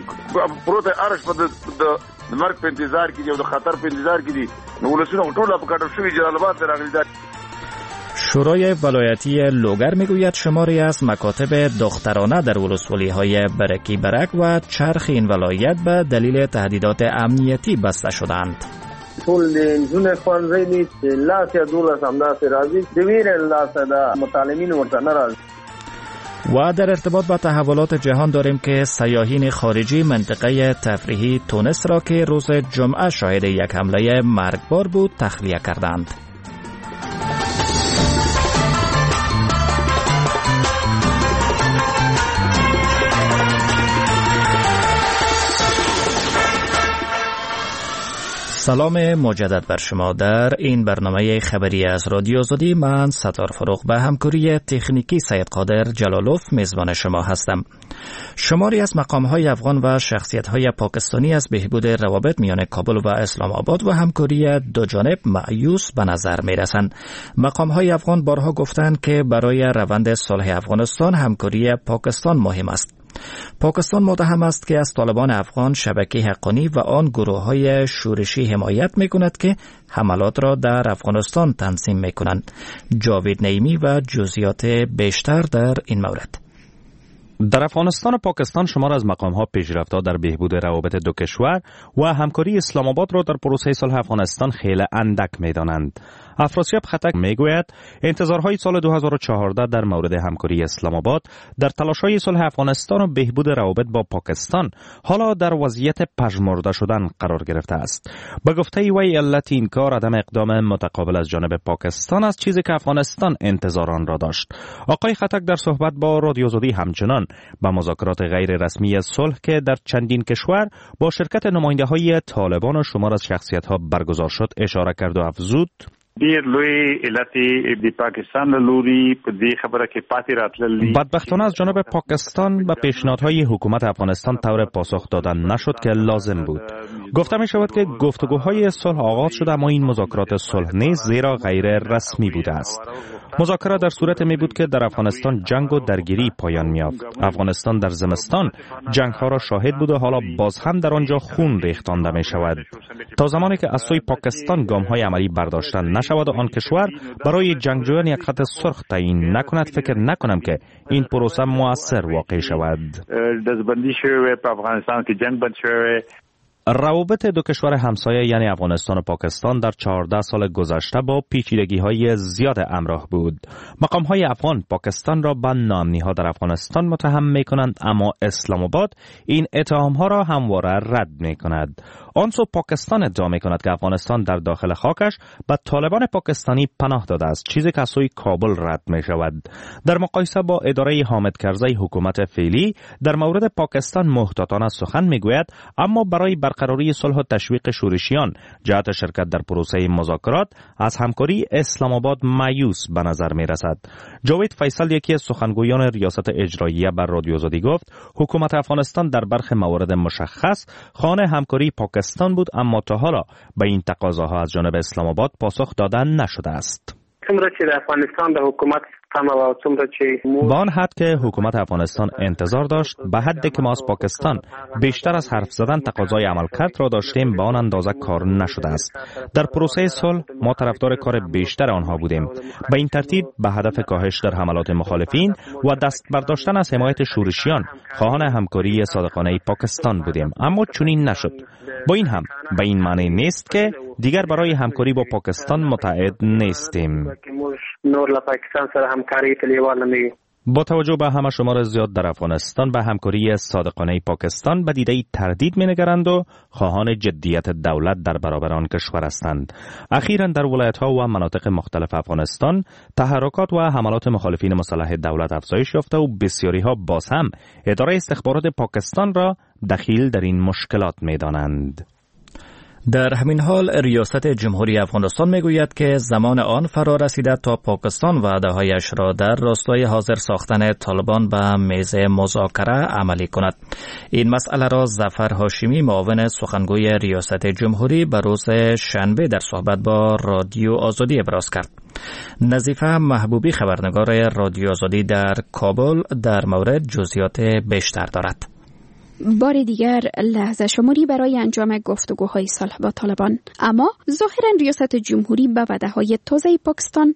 پروت دی ارش په د مرګ په انتظار کې دی او د خطر په انتظار کې دي، نو ولسونه ټول په کډه شوي جلال آباد ته راغلي دي. شورای ولایتی لوگر میگوید شماری از مکاتب دخترانه در ولسوالی‌های برکی برک و چرخ این ولایت به دلیل تهدیدات امنیتی بسته شدند. ټول د نجونو ښوونځی دی چې لاس یا دولس همداسې راځي، د ویرې له لاسه د متعلمین ورته نه راځي. و در ارتباط با تحولات جهان داریم که سیاحین خارجی منطقه تفریحی تونس را که روز جمعه شاهد یک حمله مرگبار بود تخلیه کردند. سلام مجدد بر شما در این برنامه خبری از رادیو آزادی. من ستار فروغ به همکاری تکنیکی سید قادر جلالوف میزبان شما هستم. شماری از مقام‌های افغان و شخصیت‌های پاکستانی از بهبود روابط میان کابل و اسلام آباد و همکاری دو جانب مایوس به نظر می‌رسند. مقام‌های افغان بارها گفتند که برای روند صلح افغانستان همکاری پاکستان مهم است. پاکستان متهم است که از طالبان افغان، شبکه حقانی و آن گروه‌های شورشی حمایت می‌کند که حملات را در افغانستان تنظیم می‌کنند. جاوید نعیمی و جزئیات بیشتر در این مورد. در افغانستان و پاکستان شمار از مقام‌ها پیشرفت‌ها در بهبود روابط دو کشور و همکاری اسلام آباد را در پروسه صلح افغانستان خیلی اندک می‌دانند. افراسیاب ختک میگوید انتظارهای سال دو هزار و چهارده در مورد همکاری اسلام آباد در تلاش‌های صلح افغانستان و بهبود روابط با پاکستان حالا در وضعیت پژمرده شدن قرار گرفته است. به گفته وی علت این کار عدم اقدام متقابل از جانب پاکستان است، چیزی که افغانستان انتظار آن را داشت. آقای ختک در صحبت با رادیو آزادی همچنان به مذاکرات غیر رسمی صلح که در چندین کشور با شرکت نماینده‌های طالبان و شمار از شخصیت‌ها برگزار شد اشاره کرد و افزود: ډیر لوی علت د پاکستان له لوري په دې خبره کې پاتې راتلل دي. بدبختانه از جانب پاکستان به پیشنهادهای حکومت افغانستان طور پاسخ دادن نشد که لازم بود. گفته می شود که گفتگوهای صلح آغاز شده، اما این مذاکرات صلح نیز زیرا غیر رسمی بوده است. مذاکرات در صورت می بود که در افغانستان جنگ و درگیری پایان می یافت. افغانستان در زمستان جنگ ها را شاهد بود و حالا باز هم در آنجا خون ریختانده می شود. تا زمانی که از سوی پاکستان گام های عملی برداشته نشود و آن کشور برای جنگجویان یک خط سرخ تعیین نکند، فکر نکنم که این پروسه مؤثر واقع شود. دزبندی شوی په افغانستان کې جنگ بند شوی. روابط دو کشور همسایه یعنی افغانستان و پاکستان در چهارده سال گذشته با پیچیدگی‌های زیاد همراه بود. مقام‌های افغان پاکستان را به ناامنی‌ها در افغانستان متهم می‌کنند، اما اسلام آباد این اتهام‌ها را همواره رد می‌کند. آن سو پاکستان ادعا می‌کند که افغانستان در داخل خاکش به طالبان پاکستانی پناه داده است، چیزی که از سوی کابل رد می‌شود. در مقایسه با اداره حامد کرزی حکومت فعلی در مورد پاکستان محتاطانه سخن می‌گوید، اما برای برقراری صلح و تشویق شورشیان جهت شرکت در پروسه مذاکرات از همکاری اسلام آباد مایوس به نظر می رسد. جاوید فیصل یکی از سخنگویان ریاست اجراییه بر رادیو آزادی گفت حکومت افغانستان در برخی موارد مشخص خانه همکاری پاکستان بود، اما تا حالا به این تقاضاها از جانب اسلام آباد پاسخ داده نشده است. با آن حد که حکومت افغانستان انتظار داشت، به حدی که ما از پاکستان بیشتر از حرف زدن تقاضای عملکرد را داشتیم، به آن اندازه کار نشده است. در پروسه صلح ما طرفدار کار بیشتر آنها بودیم. به این ترتیب به هدف کاهش در حملات مخالفین و دست برداشتن از حمایت شورشیان خواهان همکاری صادقانه پاکستان بودیم، اما چنین نشد. با این هم به این معنی نیست که دیگر برای همکاری با پاکستان متعهد نیستیم. با توجه به همه شمار زیاد در افغانستان به همکاری صادقانه پاکستان به دیده تردید می‌نگرند و خواهان جدیت دولت در برابر آن کشور هستند. اخیراً در ولایت‌ها و مناطق مختلف افغانستان تحرکات و حملات مخالفین مسلح دولت افزایش یافته و بسیاری‌ها باز هم اداره استخبارات پاکستان را دخیل در این مشکلات می‌دانند. در همین حال ریاست جمهوری افغانستان میگوید که زمان آن فرا رسیده تا پاکستان وعده‌هایش را در راستای حاضر ساختن طالبان به میز مذاکره عملی کند. این مسئله را ظفر هاشمی معاون سخنگوی ریاست جمهوری به روز شنبه در صحبت با رادیو آزادی ابراز کرد. نظیفه محبوبی خبرنگار رادیو آزادی در کابل در مورد جزئیات بیشتر دارد. بار دیگر لحظه شماری برای انجام گفتگوهای صلح با طالبان، اما ظاهرا ریاست جمهوری به وعده‌های تازه پاکستان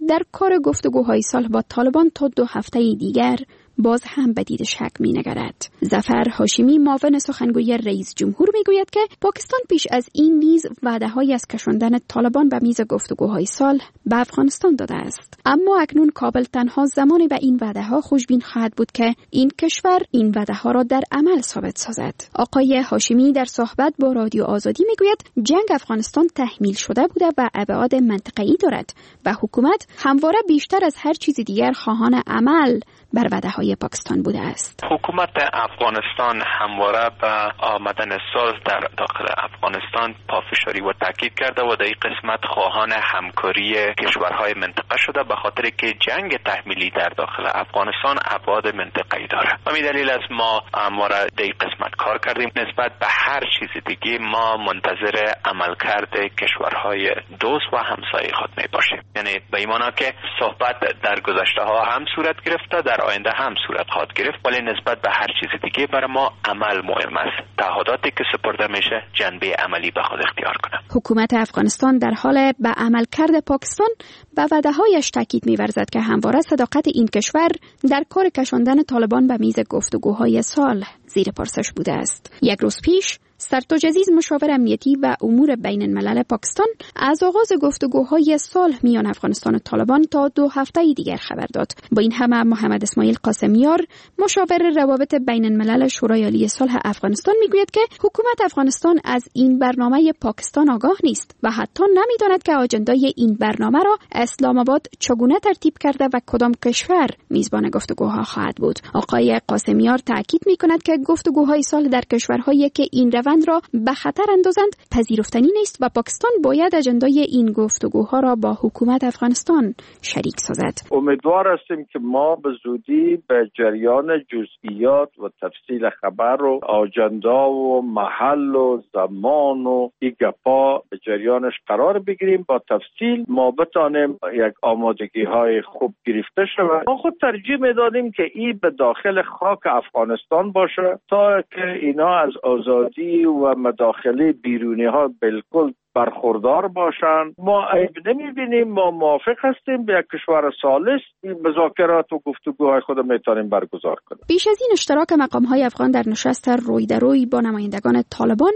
در کار گفتگوهای صلح با طالبان تا دو هفته دیگر باز هم به دید شک می نگرد. ظفر هاشمی معاون سخنگوی رئیس جمهور می گوید که پاکستان پیش از این نیز وعده‌های از کشاندن طالبان به میز گفتگوهای صلح به افغانستان داده است، اما اکنون کابل تنها زمانی به این وعده‌ها خوشبین خواهد بود که این کشور این وعده‌ها را در عمل ثابت سازد. آقای هاشمی در صحبت با رادیو آزادی می گوید جنگ افغانستان تحمیل شده بوده و ابعاد منطقه‌ای دارد و حکومت همواره بیشتر از هر چیز دیگر خواهان عمل بر وعده‌های پاکستان بوده است. حکومت افغانستان همواره به آمدن صلح در داخل افغانستان پافشاری و تاکید کرده و در این قسمت خواهان همکاری کشورهای منطقه شده، به خاطر که جنگ تحمیلی در داخل افغانستان ابعاد منطقه‌ای داره. و می دلیل است ما همواره در این قسمت کار کردیم. نسبت به هر چیز دیگه ما منتظر عملکرد کشورهای دوست و همسایه خود می باشیم. یعنی به این معنا که صحبت در گذشته ها هم صورت گرفته، در آینده هم صورت خواهد گرفت، ولی نسبت به هر چیز دیگه برای ما عمل مهم است. تعهداتی که سپرده میشه جنبه عملی به خود اختیار کنه. حکومت افغانستان در حال به عملکرد پاکستان به وعده‌هایش تاکید می‌ورزد که همواره صداقت این کشور در کار کشاندن طالبان به میز گفتگوهای صلح زیر پرسش بوده است. یک روز پیش سرتاج عزیز، مشاور امنیتی و امور بین الملل پاکستان، از آغاز گفتگوهای صلح میان افغانستان و طالبان تا دو هفته دیگر خبر داد. با این همه محمد اسماعیل قاسمیار، مشاور روابط بین الملل شورای عالی صلح افغانستان، میگوید که حکومت افغانستان از این برنامه پاکستان آگاه نیست و حتی نمیداند که آجندای این برنامه را اسلام آباد چگونه ترتیب کرده و کدام کشور میزبان گفتگوها خواهد بود. آقای قاسمیار تاکید میکند که گفتگوهای صلح در کشورهایی که این روند را به خطر اندازند پذیرفتنی نیست و پاکستان باید اجندای این گفتگوها را با حکومت افغانستان شریک سازد. امیدوار هستیم که ما به زودی به جریان جزئیات و تفصیل خبر و آجندا و محل و زمان و این گپا به جریانش قرار بگیریم. با تفصیل ما بتانیم یک آمادگی های خوب گرفته شود. ما خود ترجیح میدادیم که این به داخل خاک افغانستان باشه تا که اینا از آزادی و مداخله بیرونی ها بالکل برخوردار باشند. ما عیب نمیبینیم، ما موافق هستیم به یک کشور ثالث مذاکرات و گفتگوهای خود میتونیم برگزار کنیم. پیش از این اشتراک مقام های افغان در نشست روی در روی با نمایندگان طالبان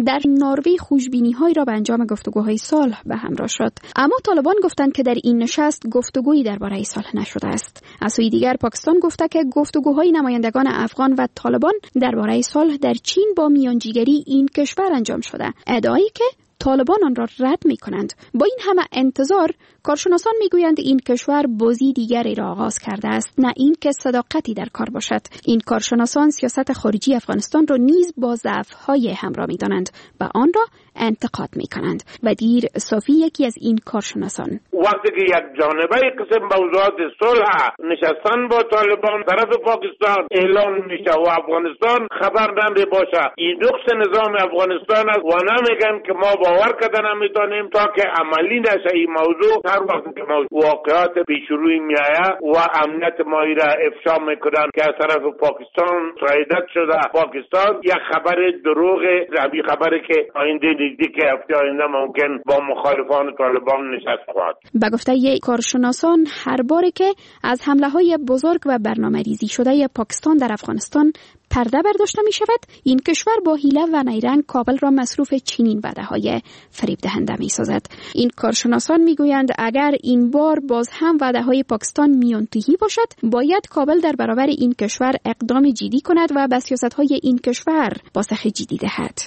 در نروژ خوشبینی های را به انجام گفتگوهای صلح به همراه شد، اما طالبان گفتند که در این نشست گفتگویی درباره صلح نشده است. از سوی دیگر پاکستان گفته که گفتگوهای نمایندگان افغان و طالبان درباره صلح در چین با میانجیگری این کشور انجام شده، ادعایی که طالبان آن را رد می کنند. با این همه انتظار، کارشناسان می گویند این کشور بازی دیگری را آغاز کرده است، نه این که صداقتی در کار باشد. این کارشناسان سیاست خارجی افغانستان را نیز با ضعف‌های همراه می دانند و آن را انتقاد می کنند. ودیر صافی یکی از این کارشناسان: وقتی که یک جانبه قسم موضوعات صلح نشستن با طالبان طرف پاکستان اعلان میشه و افغانستان خبر نمی باشه، این نقص نظام افغانستان است و نمیگن که ما باور کردن نمیتونیم تا که عملی نشه این موضوع. هر وقت که واقعات پیش روی میآید و امنیت ما را افشا میکنن که از طرف پاکستان سایدت شده، پاکستان یک خبر دروغ، ربی خبری که آینده نزدیک هفته آینده ممکن با مخالفان طالبان نشست خواهد. به گفته کارشناسان، هر باری که از حمله های بزرگ و برنامه ریزی شده پاکستان در افغانستان پرده برداشته می شود، این کشور با حیله و نیرنگ کابل را مصروف چنین وعده های فریب دهنده می سازد. این کارشناسان می گویند اگر این بار باز هم وعده های پاکستان میانتهی باشد، باید کابل در برابر این کشور اقدام جدی کند و به سیاست های این کشور پاسخ جدی دهد.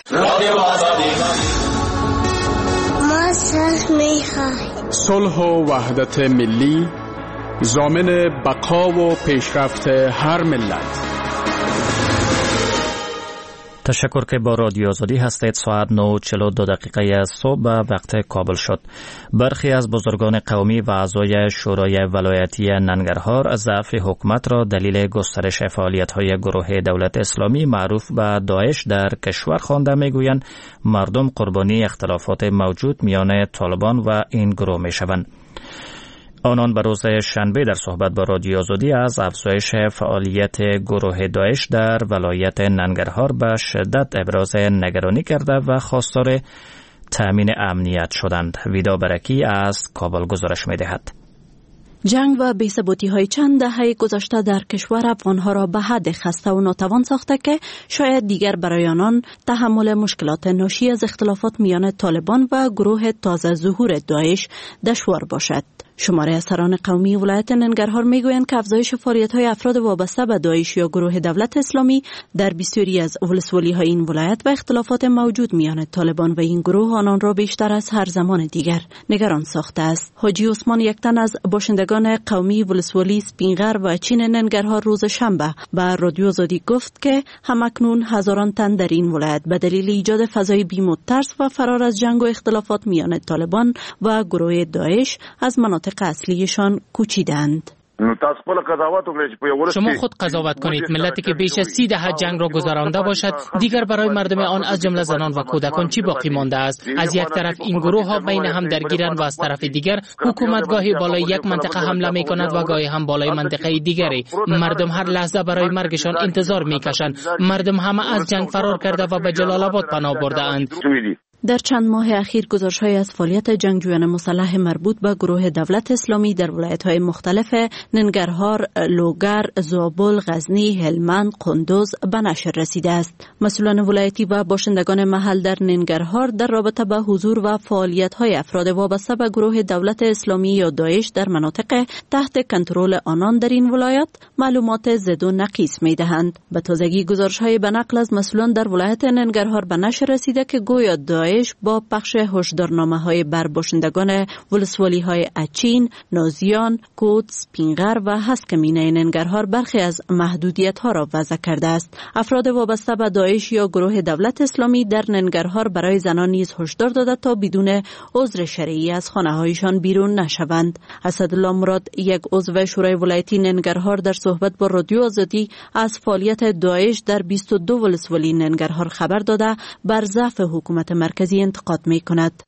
ما صلح می خواهیم. صلح و وحدت ملی ضامن بقا و پیشرفت هر ملت. تشکر که با رادیو آزادی هستید. ساعت نه و چهل و دو دقیقه صبح به وقت کابل شد. برخی از بزرگان قومی و اعضای شورای ولایتی ننگرهار از ضعف حکومت را دلیل گسترش فعالیت‌های گروه دولت اسلامی معروف به داعش در کشور خوانده میگویند مردم قربانی اختلافات موجود میان طالبان و این گروه میشوند. آنان به روز شنبه در صحبت با رادیو آزادی از افزایش فعالیت گروه داعش در ولایت ننگرهار به شدت ابراز نگرانی کرده و خواستار تأمین امنیت شدند. ویدا برکی از کابل گزارش می‌دهد. جنگ و بی‌ثباتی‌های چند دهه گذشته در کشور افغان‌ها را به حد خسته و ناتوان ساخته که شاید دیگر برای آنان تحمل مشکلات ناشی از اختلافات میان طالبان و گروه تازه ظهور داعش دشوار باشد. شماره از سران قومی ولایت ننگرهار میگویند که افزایش فعالیت‌های افراد وابسته به داعش یا گروه دولت اسلامی در بسیاری از ولسوالی‌های این ولایت و اختلافات موجود میان طالبان و این گروه آنان را بیشتر از هر زمان دیگر نگران ساخته است. حاجی عثمان یک تن از باشندگان قومی ولسوالی سپینغر و چین ننگرهار روز شنبه به رادیو آزادی گفت که همکنون هزاران تن در این ولایت به دلیل ایجاد فضای بیم و ترس و فرار از جنگ و اختلافات میان طالبان و گروه داعش از مناطق اصلیشان کوچیدند. نو تاسو خپل قضاوت وکړئ چې په یو شما خود قضاوت کنید. ملتی که بیش از سی دهه جنگ را گذرانده باشد، دیگر برای مردم آن از جمله زنان و کودکان چی باقی مانده است؟ از یک طرف این گروه ها بین هم درگیرند و از طرف دیگر حکومت گاهی بالای یک منطقه حمله می کند و گاهی هم بالای منطقه دیگری. مردم هر لحظه برای مرگشان انتظار می کشند. مردم همه از جنگ فرار کرده و به جلال آباد پناه برده اند. در چند ماه اخیر گزارش‌های از فعالیت جنگجویان مسلح مربوط به گروه دولت اسلامی در ولایت‌های مختلف ننگرهار، لوگر، زابل، غزنی، هلمند، قندوز به نشر رسیده است. مسئولان ولایتی و باشندگان محل در ننگرهار در رابطه با حضور و فعالیت‌های افراد وابسته به گروه دولت اسلامی یا داعش در مناطق تحت کنترل آنان در این ولایت معلومات زد و نقیص می‌دهند. به تازگی گزارش‌های به نقل از مسئولان در ولایت ننگرهار به نشر رسیده که گویا داعش با پخش هشدارنامه‌های بر باشندگان ولسوالی‌های اچین، نازیان، کوت، سپینغر و هسکمینه ننگرهار برخی از محدودیت‌ها را وضع کرده است. افراد وابسته به داعش یا گروه دولت اسلامی در ننگرهار برای زنان نیز هشدار داده تا بدون عذر شرعی از خانه‌هایشان بیرون نشوند. اسدالله مراد، یک عضو شورای ولایتی ننگرهار، در صحبت با رادیو آزادی از فعالیت داعش در بیست و دو ولسوالی ننگرهار خبر داده بر ضعف حکومت مرکزی انتقاد می کند.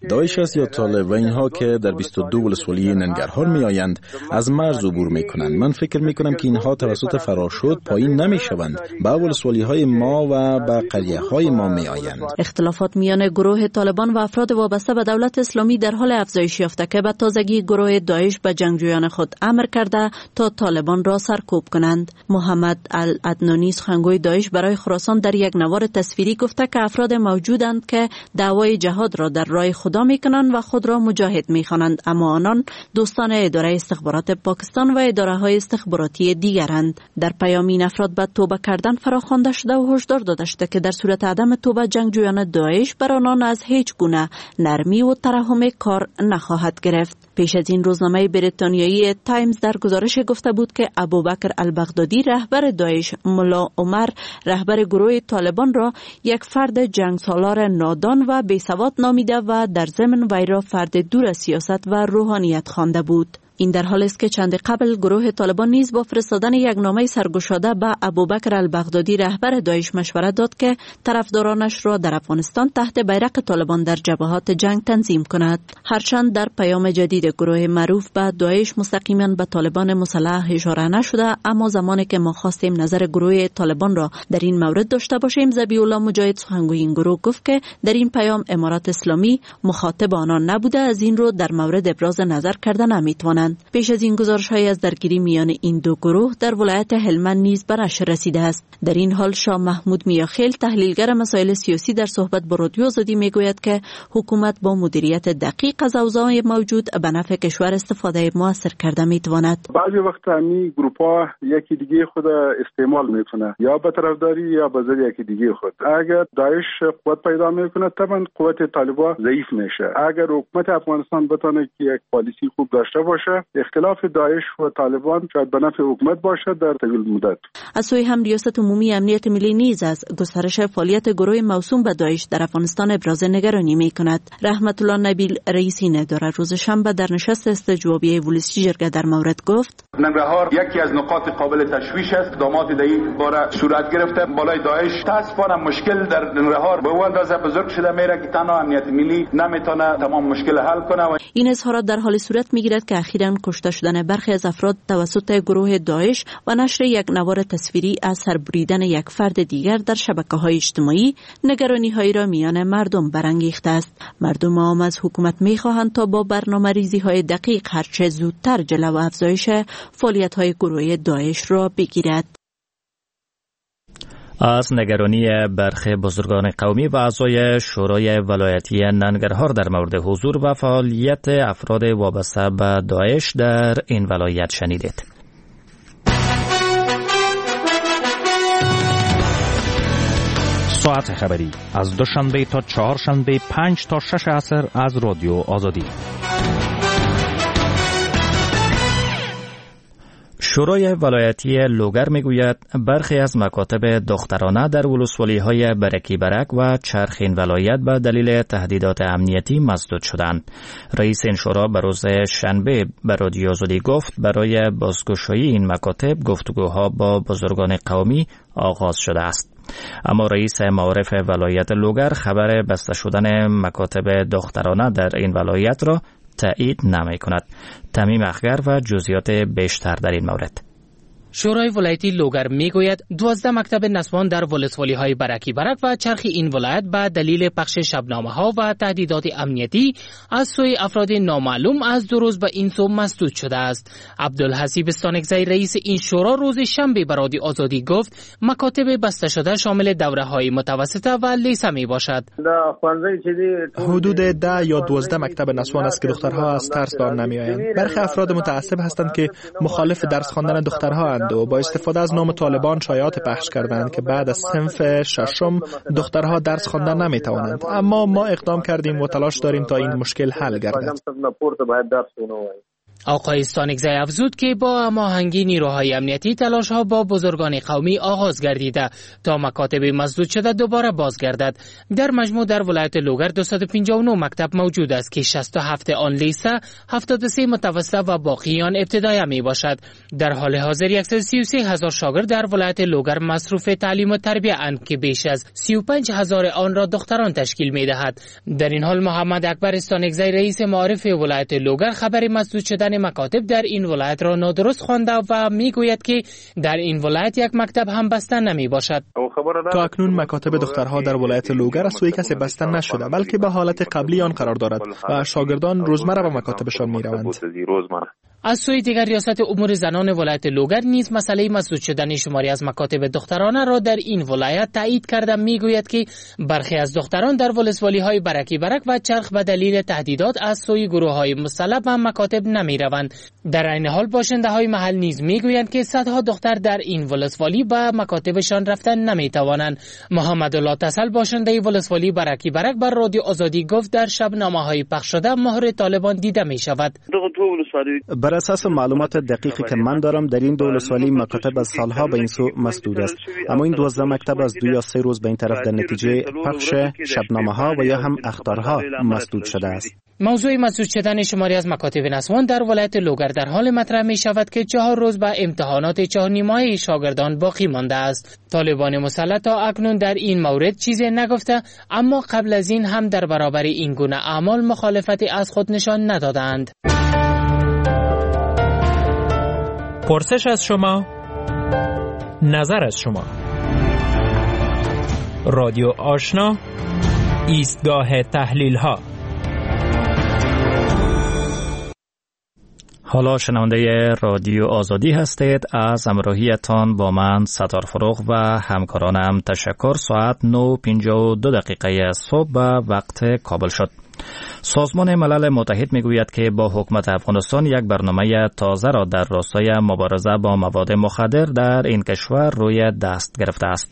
داعش است یا طالب و اینها که در بیست و دو ولسوالی ننگرهار می آیند از مرز عبور می کنند. من فکر می کنم که اینها توسط فراشد پایین نمی شوند، به ولسوالی های ما و به قریه های ما می آیند. اختلافات میان گروه طالبان و افراد وابسته به دولت اسلامی در حال افزایش یافته که به تازگی گروه داعش به جنگجویان خود امر کرده تا طالبان را سرکوب کنند. محمد العدنانی، سخنگوی داعش برای خراسان، در یک نوار تصویری گفته که افراد موجودند که دعوای جهاد را در راه خدا میکنند و خود را مجاهد میخوانند، اما آنان دوستان اداره استخبارات پاکستان و اداره های استخباراتی دیگرند. در پیام این افراد به توبه کردن فراخوانده شده و هشدار داده شده که در صورت عدم توبه جنگجویان داعش بر آنان از هیچ گونه نرمی و ترحم کار نخواهد گرفت. پیش از این روزنامه بریتانیایی تایمز در گزارش گفته بود که ابوبکر البغدادی، رهبر داعش، ملا عمر، رهبر گروه طالبان را یک فرد جنگسالار نادان و بیسواد نامیده و در ضمن وی را فرد دور از سیاست و روحانیت خوانده بود. این در حال است که چند قبل گروه طالبان نیز با فرستادن یک نامه سرگشاده به ابوبکر البغدادی، رهبر داعش، مشوره داد که طرفدارانش را در افغانستان تحت بیرق طالبان در جبهات جنگ تنظیم کند. هرچند در پیام جدید گروه معروف به داعش مستقیما به طالبان مسلح اشاره نشده، اما زمانی که ما خواستیم نظر گروه طالبان را در این مورد داشته باشیم، ذبیح الله مجاهد، سخنگوی این گروه، گفت که در این پیام امارات اسلامی مخاطب آنان نبوده، از این رو در مورد ابراز نظر کرده نمیتوانند. پیش از این گزارش‌های از درگیری میان این دو گروه در ولایت هلمند نیز به نشر رسیده است. در این حال شاه محمود میاخیل، تحلیلگر مسائل سیاسی، در صحبت با رادیو آزادی میگوید که حکومت با مدیریت دقیق از اوضاع موجود به نفع کشور استفاده موثر کرده میتواند. بعضی وقت همین گروپ‌ها یکی دیگه خود استعمال میکنه، یا به طرفداری یا به ضد یکی دیگه خود. اگر داعش قوت پیدا میکنه طبعا قوت طالبان ضعیف میشه. اگر حکومت افغانستان بتونه که یک پالیسی خوب داشته باشه، اختلاف داعش و طالبان شاید به نفع حکومت باشد در طول مدت. از سوی هم ریاست عمومی امنیت ملی نیز از گسترش فعالیت گروه موسوم به داعش در افغانستان ابراز نگرانی می کند. رحمت الله نبیل، رئیس این اداره، روز شنبه در نشست استجوابی ولسی جرگه در مورد گفت: ننگرهار یکی از نقاط قابل تشویش است. اقدامات در این باره صورت گرفته بالای داعش. متاسفانه مشکل در ننگرهار به اون اندازه بزرگ شده میره که تنها امنیت ملی نمیتونه تمام مشکل حل کنه. و این اظهارات در حال صورت میگیرد که اخیراً کشته شدن برخی از افراد توسط گروه داعش و نشر یک نوار تصویری از سربریدن یک فرد دیگر در شبکه‌های اجتماعی نگرانی‌هایی را میان مردم برانگیخته است. مردم عام از حکومت می‌خواهند تا با برنامه‌ریزی‌های دقیق هرچه زودتر جلو افزایش فعالیت‌های گروه داعش را بگیرد. از نگرانی برخی بزرگان قومی و اعضای شورای ولایتی ننگرهار در مورد حضور و فعالیت افراد وابسته به داعش در این ولایت شنیدید. ساعت خبری از دوشنبه تا چهارشنبه پنج تا شش عصر از رادیو آزادی. شورای ولایتی لوگر میگوید برخی از مکاتب دخترانه در ولسوالی‌های برکی برک و چرخین ولایت به دلیل تهدیدات امنیتی مسدود شدند. رئیس این شورا به روز شنبه به رادیو آزادی گفت برای بازگشایی این مکاتب گفتگوها با بزرگان قومی آغاز شده است. اما رئیس معارف ولایت لوگر خبر بسته شدن مکاتب دخترانه در این ولایت را تایید نمی کند. تمیم اخگر و جزئیات بیشتر در این مورد. شورای ولایتی لوگر میگوید دوازده مکتب نسوان در ولسوالی‌های برکی برک و چرخ این ولایت به دلیل پخش شبنامه‌ها و تهدیدات امنیتی از سوی افراد نامعلوم از دو روز به این سو مسدود شده است. عبدالحسیب ستانکزی رئیس این شورا روز شنبه به رادیو آزادی گفت مکاتب بسته شده شامل دوره‌های متوسطه و لیسه می باشد. حدود ده یا دوازده مکتب نسوان است که دخترها از ترس به آن نمی‌آیند. برخی افراد متعصب هستند که مخالف درس خواندن دخترها و با استفاده از نام طالبان شایعات پخش کردند که بعد از صنف ششم دخترها درس خواندن نمیتوانند. اما ما اقدام کردیم و تلاش داریم تا این مشکل حل گردد. آقای ستانکزی افزود که با هماهنگی نیروهای امنیتی تلاش‌ها با بزرگان قومی آغاز گردیده تا مکاتب مسدود شده دوباره بازگردد. در مجموع در ولایت لوگر دویست و پنجاه و نه مکتب موجود است که شصت و هفت آن لیسه، هفتاد و سه متوسطه و باقی آن ابتدایه می باشد. در حال حاضر صد و سی و سه هزار شاگرد در ولایت لوگر مصروف تعلیم و تربیه اند که بیش از سی و پنج هزار آن را دختران تشکیل می دهد. در این حال محمد اکبر ستانکزی رئیس معارف ولایت لوگر خبر مسدود شدن مکاتب در این ولایت را نادرست خوانده و میگوید که در این ولایت یک مکتب هم بسته نمی باشد. تا اکنون مکاتب دخترها در ولایت لوگر از سوی کسی بسته نشده، بلکه به حالت قبلی آن قرار دارد و شاگردان روزمره به مکاتبشان می روند. از سوی دیگر ریاست امور زنان ولایت لوگر نیز مسئله مسدود شدن شماری از مکاتب دخترانه را در این ولایت تایید کرده میگوید که برخی از دختران در ولسوالی‌های برکی برک و چرخ به دلیل تهدیدات از سوی گروه‌های مسلح به مکاتب نمی‌روند. در عین حال باشنده‌های محل نیز میگویند که صدها دختر در این ولسوالی به مکاتبشان رفتن نمی‌توانند. محمدالله تسل باشنده ولسوالی برکی برک بر رادیو آزادی گفت در شبنامه‌های پخش شده مهر طالبان دیده می‌شود. بر اساس معلومات دقیقی که من دارم در این دو ولسوالی مکاتب از سالها به این سو مسدود است، اما این دوازده مکتب از دو یا سه روز به این طرف در نتیجه پخش شبنامه ها و یا هم اخطارها مسدود شده است. موضوع مسدود شدن شماری از مکاتب نسوان در ولایت لوگر در حال مطرح می شود که چهار روز به امتحانات چهار نیمه شاگردان باقی مانده است. طالبان مسلح تا اکنون در این مورد چیزی نگفته، اما قبل از این هم در برابر این گونه اعمال مخالفتی از خود نشان ندادند. پرسش از شما، نظر از شما. رادیو آشنا، ایستگاه تحلیل ها. حالا شنونده رادیو آزادی هستید. از همراهیتان با من ستار فروغ و همکارانم تشکر. ساعت نه و پنجاه و دو دقیقه صبح به وقت کابل شد. سازمان ملل متحد میگوید که با حکومت افغانستان یک برنامه تازه را در راستای مبارزه با مواد مخدر در این کشور روی دست گرفته است.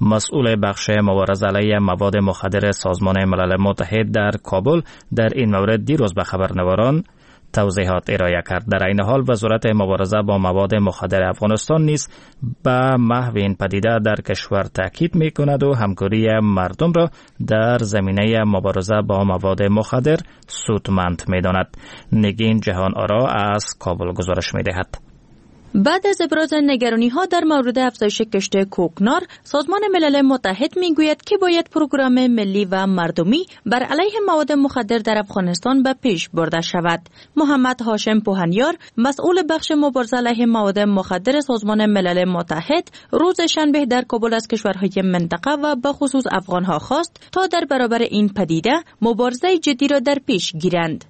مسئول بخش مبارزه علیه مواد مخدر سازمان ملل متحد در کابل در این مورد دیروز به خبرنگاران توضیحات ارائه کرد. در این حال وزارت مبارزه با مواد مخدر افغانستان نیز به محو این پدیده در کشور تاکید می کند و همکاری مردم را در زمینه مبارزه با مواد مخدر سودمند می داند. نگین جهان آرا از کابل گزارش می دهد. بعد از ابراز نگرانی‌ها در مورد افزایش کشت کوکنار، سازمان ملل متحد می‌گوید که باید پروگرام ملی و مردمی بر علیه مواد مخدر در افغانستان به پیش برده شود. محمد هاشم پوهنیار، مسئول بخش مبارزه علیه مواد مخدر سازمان ملل متحد، روز شنبه در کابل از کشورهای منطقه و به خصوص افغانها خواست تا در برابر این پدیده مبارزه جدی را در پیش گیرند.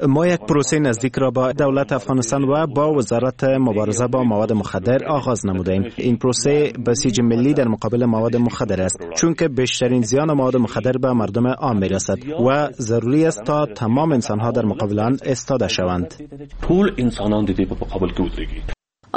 ما یک پروسه نزدیک را با دولت افغانستان و با وزارت مبارزه با مواد مخدر آغاز نمودیم. این پروسه بسیج ملی در مقابل مواد مخدر است، چون که بیشترین زیان مواد مخدر به مردم عام میرسد و ضروری است تا تمام انسانها در مقابل آن ایستاده شوند.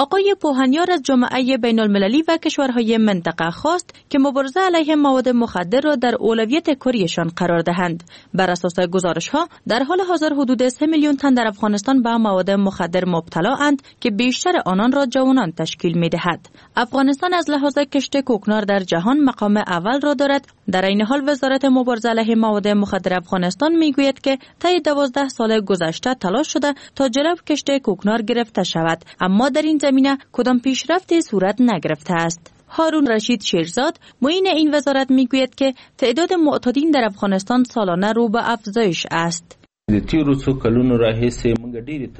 آقای پوهنیار از جامعه بین المللی و کشورهای منطقه خواست که مبارزه علیه مواد مخدر را در اولویت کاریشان قرار دهند. بر اساس گزارش‌ها در حال حاضر حدود سه میلیون تن در افغانستان به مواد مخدر مبتلا اند که بیشتر آنان را جوانان تشکیل می‌دهد. افغانستان از لحاظ کشت کوکنار در جهان مقام اول را دارد. در این حال وزارت مبارزه علیه مواد مخدر افغانستان میگوید که طی دوازده سال گذشته تلاش شده تا جلو کشت کوکنار گرفته شود، اما در این زمینه کدام پیشرفتی صورت نگرفته است. هارون رشید شیرزاد معین این وزارت میگوید که تعداد معتادین در افغانستان سالانه رو به افزایش است.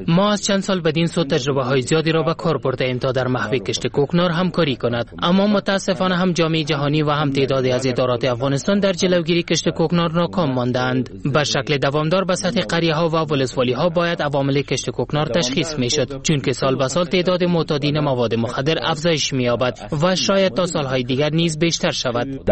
ما از چند سال بدین سو تجربه های زیادی را به کار برده ایم تا در محو کشت کوکنار همکاری کند، اما متاسفانه هم جامعه جهانی و هم تعدادی از ادارات افغانستان در جلوگیری کشت کوکنار ناکام ماندند. به شکل دوامدار به سطح قریه ها و ولسوالی ها باید عوامل کشت کوکنار تشخیص می شد، چون که سال به سال تعداد معتادین مواد مخدر افزایش می یابد و شاید تا سالهای دیگر نیز بیشتر شود.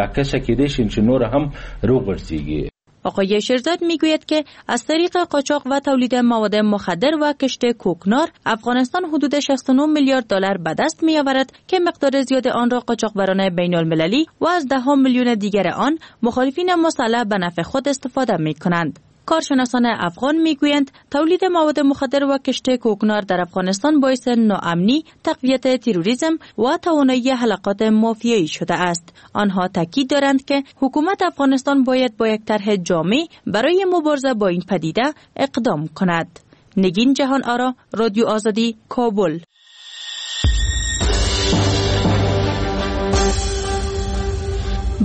آقای شیرزاد میگوید که از طریق قاچاق و تولید مواد مخدر و کشت کوکنار افغانستان حدود شصت و نه میلیارد دلار به دست می‌آورد که مقدار زیاد آن را قاچاقبران بین المللی و از ده میلیون دیگر آن مخالفین مسلح به نفع خود استفاده می‌کنند. کارشناسان افغان میگویند تولید مواد مخدر و کشت کوکنار در افغانستان باعث ناامنی، تقویت تروریسم و توانایی حلقات مافیایی شده است. آنها تاکید دارند که حکومت افغانستان باید با یک طرح جامع برای مبارزه با این پدیده اقدام کند. نگین جهان آرا، رادیو آزادی، کابل.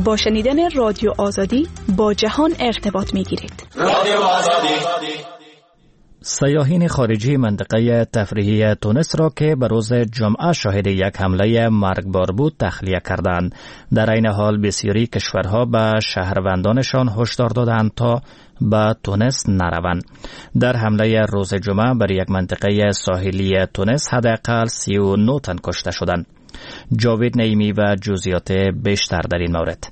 با شنیدن رادیو آزادی با جهان ارتباط میگیرید. رادیو آزادی. سیاحین خارجی منطقه تفریحی تونس را که به روز جمعه شاهد یک حمله مرگبار بود تخلیه کردند. در این حال بسیاری کشورها به شهروندانشان هشدار دادند تا به تونس نروند. در حمله روز جمعه بر یک منطقه ساحلی تونس حداقل سی و نه تن کشته شدند. جاوید نعیمی و جزئیات بیشتر در این مورد.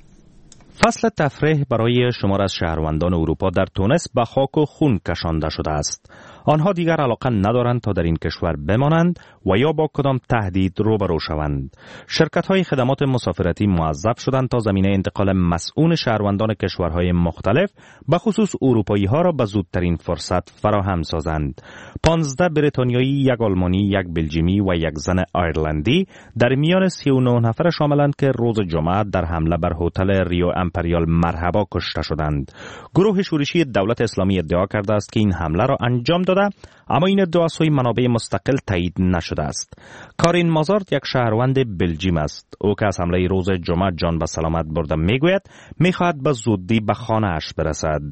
فصل تفریح برای شمار از شهروندان اروپا در تونس به خاک و خون کشانده شده است. آنها دیگر علاقه ندارند تا در این کشور بمانند و یا با کدام تهدید روبرو شوند. شرکت‌های خدمات مسافرتی موظف شدند تا زمینه انتقال مسئول شهروندان کشورهای مختلف به خصوص اروپایی‌ها را به زودترین فرصت فراهم سازند. پانزده بریتانیایی، یک آلمانی، یک بلژیمی و یک زن آیرلندی در میان سی و نه نفر شاملند که روز جمعه در حمله بر هتل ریو امپریال مرحبا کشته شدند. گروه شورشی دولت اسلامی ادعا کرده است که این حمله را انجام داده، اما این ادعا سوی منابع مستقل تایید نشده است. کارین مازارت یک شهروند بلژیم است. او که از حمله روز جمعه جان به سلامت برده میگوید میخواهد به زودی به خانه اش برسد.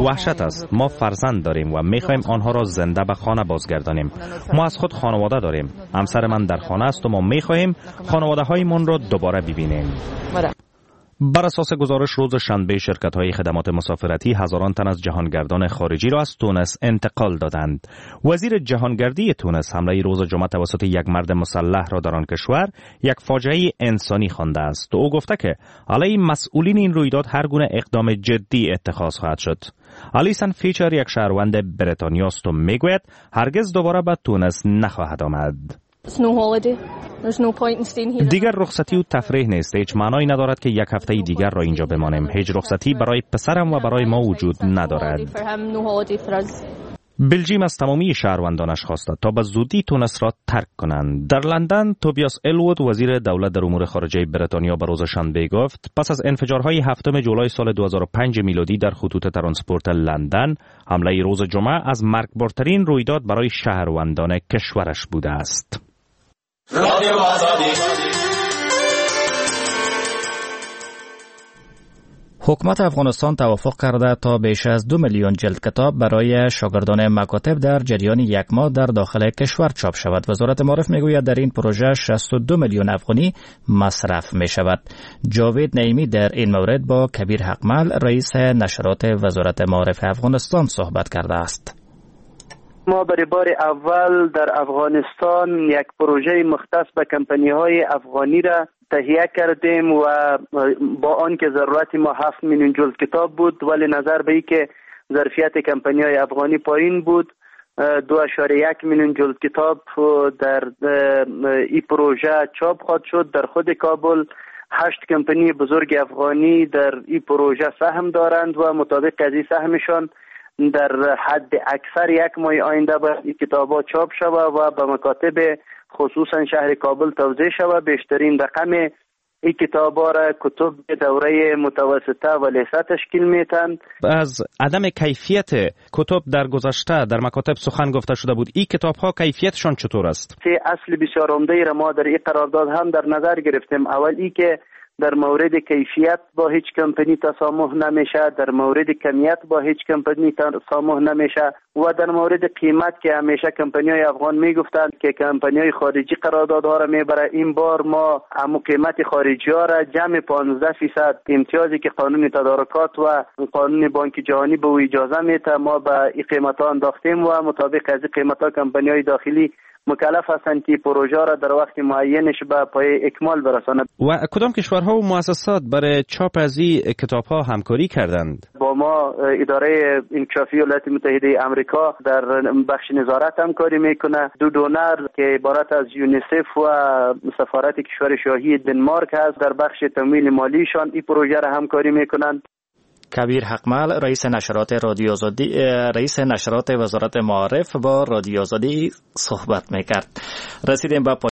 وحشت است. ما فرزند داریم و میخواهیم آنها را زنده به خانه بازگردانیم. ما از خود خانواده داریم. همسر من در خانه است و ما میخواهیم خانواده هایمان را دوباره ببینیم. بر اساس گزارش روز شنبه شرکت‌های خدمات مسافرتی هزاران تن از جهانگردان خارجی را از تونس انتقال دادند. وزیر جهانگردی تونس حمله روز جمعه توسط یک مرد مسلح را در آن کشور یک فاجعه انسانی خوانده است. او گفته که علیه مسئولین این رویداد هر گونه اقدام جدی اتخاذ خواهد شد. الیسن فیچر یک شهروند بریتانیا است و میگوید هرگز دوباره به تونس نخواهد آمد. دیگر رخصتی و تفریح نیست. هیچ معنایی ندارد که یک هفته دیگر را اینجا بمانیم. هیچ رخصتی برای پسرم و برای ما وجود ندارد. بلژیم از تمامی شهروندانش خواسته تا به زودی تونس را ترک کنند. در لندن توبیاس الوود وزیر دولت در امور خارجه بریتانیا به روز شنبه گفت پس از انفجارهای هفتم جولای سال دو هزار و پنج میلادی در خطوط ترانسپورت لندن، حمله روز جمعه از مرگبارترین رویداد برای شهروندان کشورش بوده است. رادیو آزادی. حکومت افغانستان توافق کرده تا بیش از دو میلیون جلد کتاب برای شاگردان مکاتب در جریان یک ماه در داخل کشور چاپ شود. وزارت معارف میگوید در این پروژه شصت و دو میلیون افغانی مصرف می شود. جاوید نعیمی در این مورد با کبیر حقمل رئیس نشرات وزارت معارف افغانستان صحبت کرده است. ما برای بار اول در افغانستان یک پروژه مختص به کمپانی های افغانی را تهیه کردیم و با آنکه ضرورت ما هفت میلیون جلد کتاب بود، ولی نظر به اینکه ظرفیت کمپانی های افغانی پایین بود، دو اعشاریه یک میلیون جلد کتاب در این پروژه چاپ خواهد شد. در خود کابل هشت کمپانی بزرگ افغانی در این پروژه سهم دارند و مطابق از این سهمشان در حد اکثر یک ماه آینده باید این کتاب‌ها چاپ شود و به مکاتب خصوصا شهر کابل توزیع شود. بیشترین رقم این کتاب‌ها را کتب دوره متوسطه و لیسه تشکیل میتن. از عدم کیفیت کتب در گذشته در مکاتب سخن گفته شده بود، این کتاب‌ها کیفیتشان چطور است؟ سه اصل بسیار عمده را ما در این قرارداد هم در نظر گرفتیم. اول ای که در مورد کیفیت با هیچ کمپانی تسامح نمیشه، در مورد کمیت با هیچ کمپانی تسامح نمیشه و در مورد قیمت که همیشه کمپانی های افغان میگفتند که کمپانی های خارجی قراردادها را میبره، این بار ما همو قیمت خارجی ها را جمع پانزده فیصد امتیازی که قانون تدارکات و قانون بانک جهانی به او اجازه میده ما به این قیمت ها انداختیم و مطابق از این قیمت ها کمپانی های داخلی مکلف هستند که پروژه را در وقت معینش به پای اکمال برسانند. و کدام کشورها و مؤسسات برای چاپ از این کتاب‌ها همکاری کردند؟ با ما اداره انکشافی ایالات متحده آمریکا در بخش نظارت همکاری میکنه. دو donor که عبارت از یونیسف و سفارت کشور شاهی دنمارک هست در بخش تمویل مالیشان این پروژه را همکاری میکنند. کبیر حقمل، رئیس نشرات رادیو آزادی، رئیس نشرات وزارت معارف با رادیو آزادی صحبت میکرد. رسیدیم به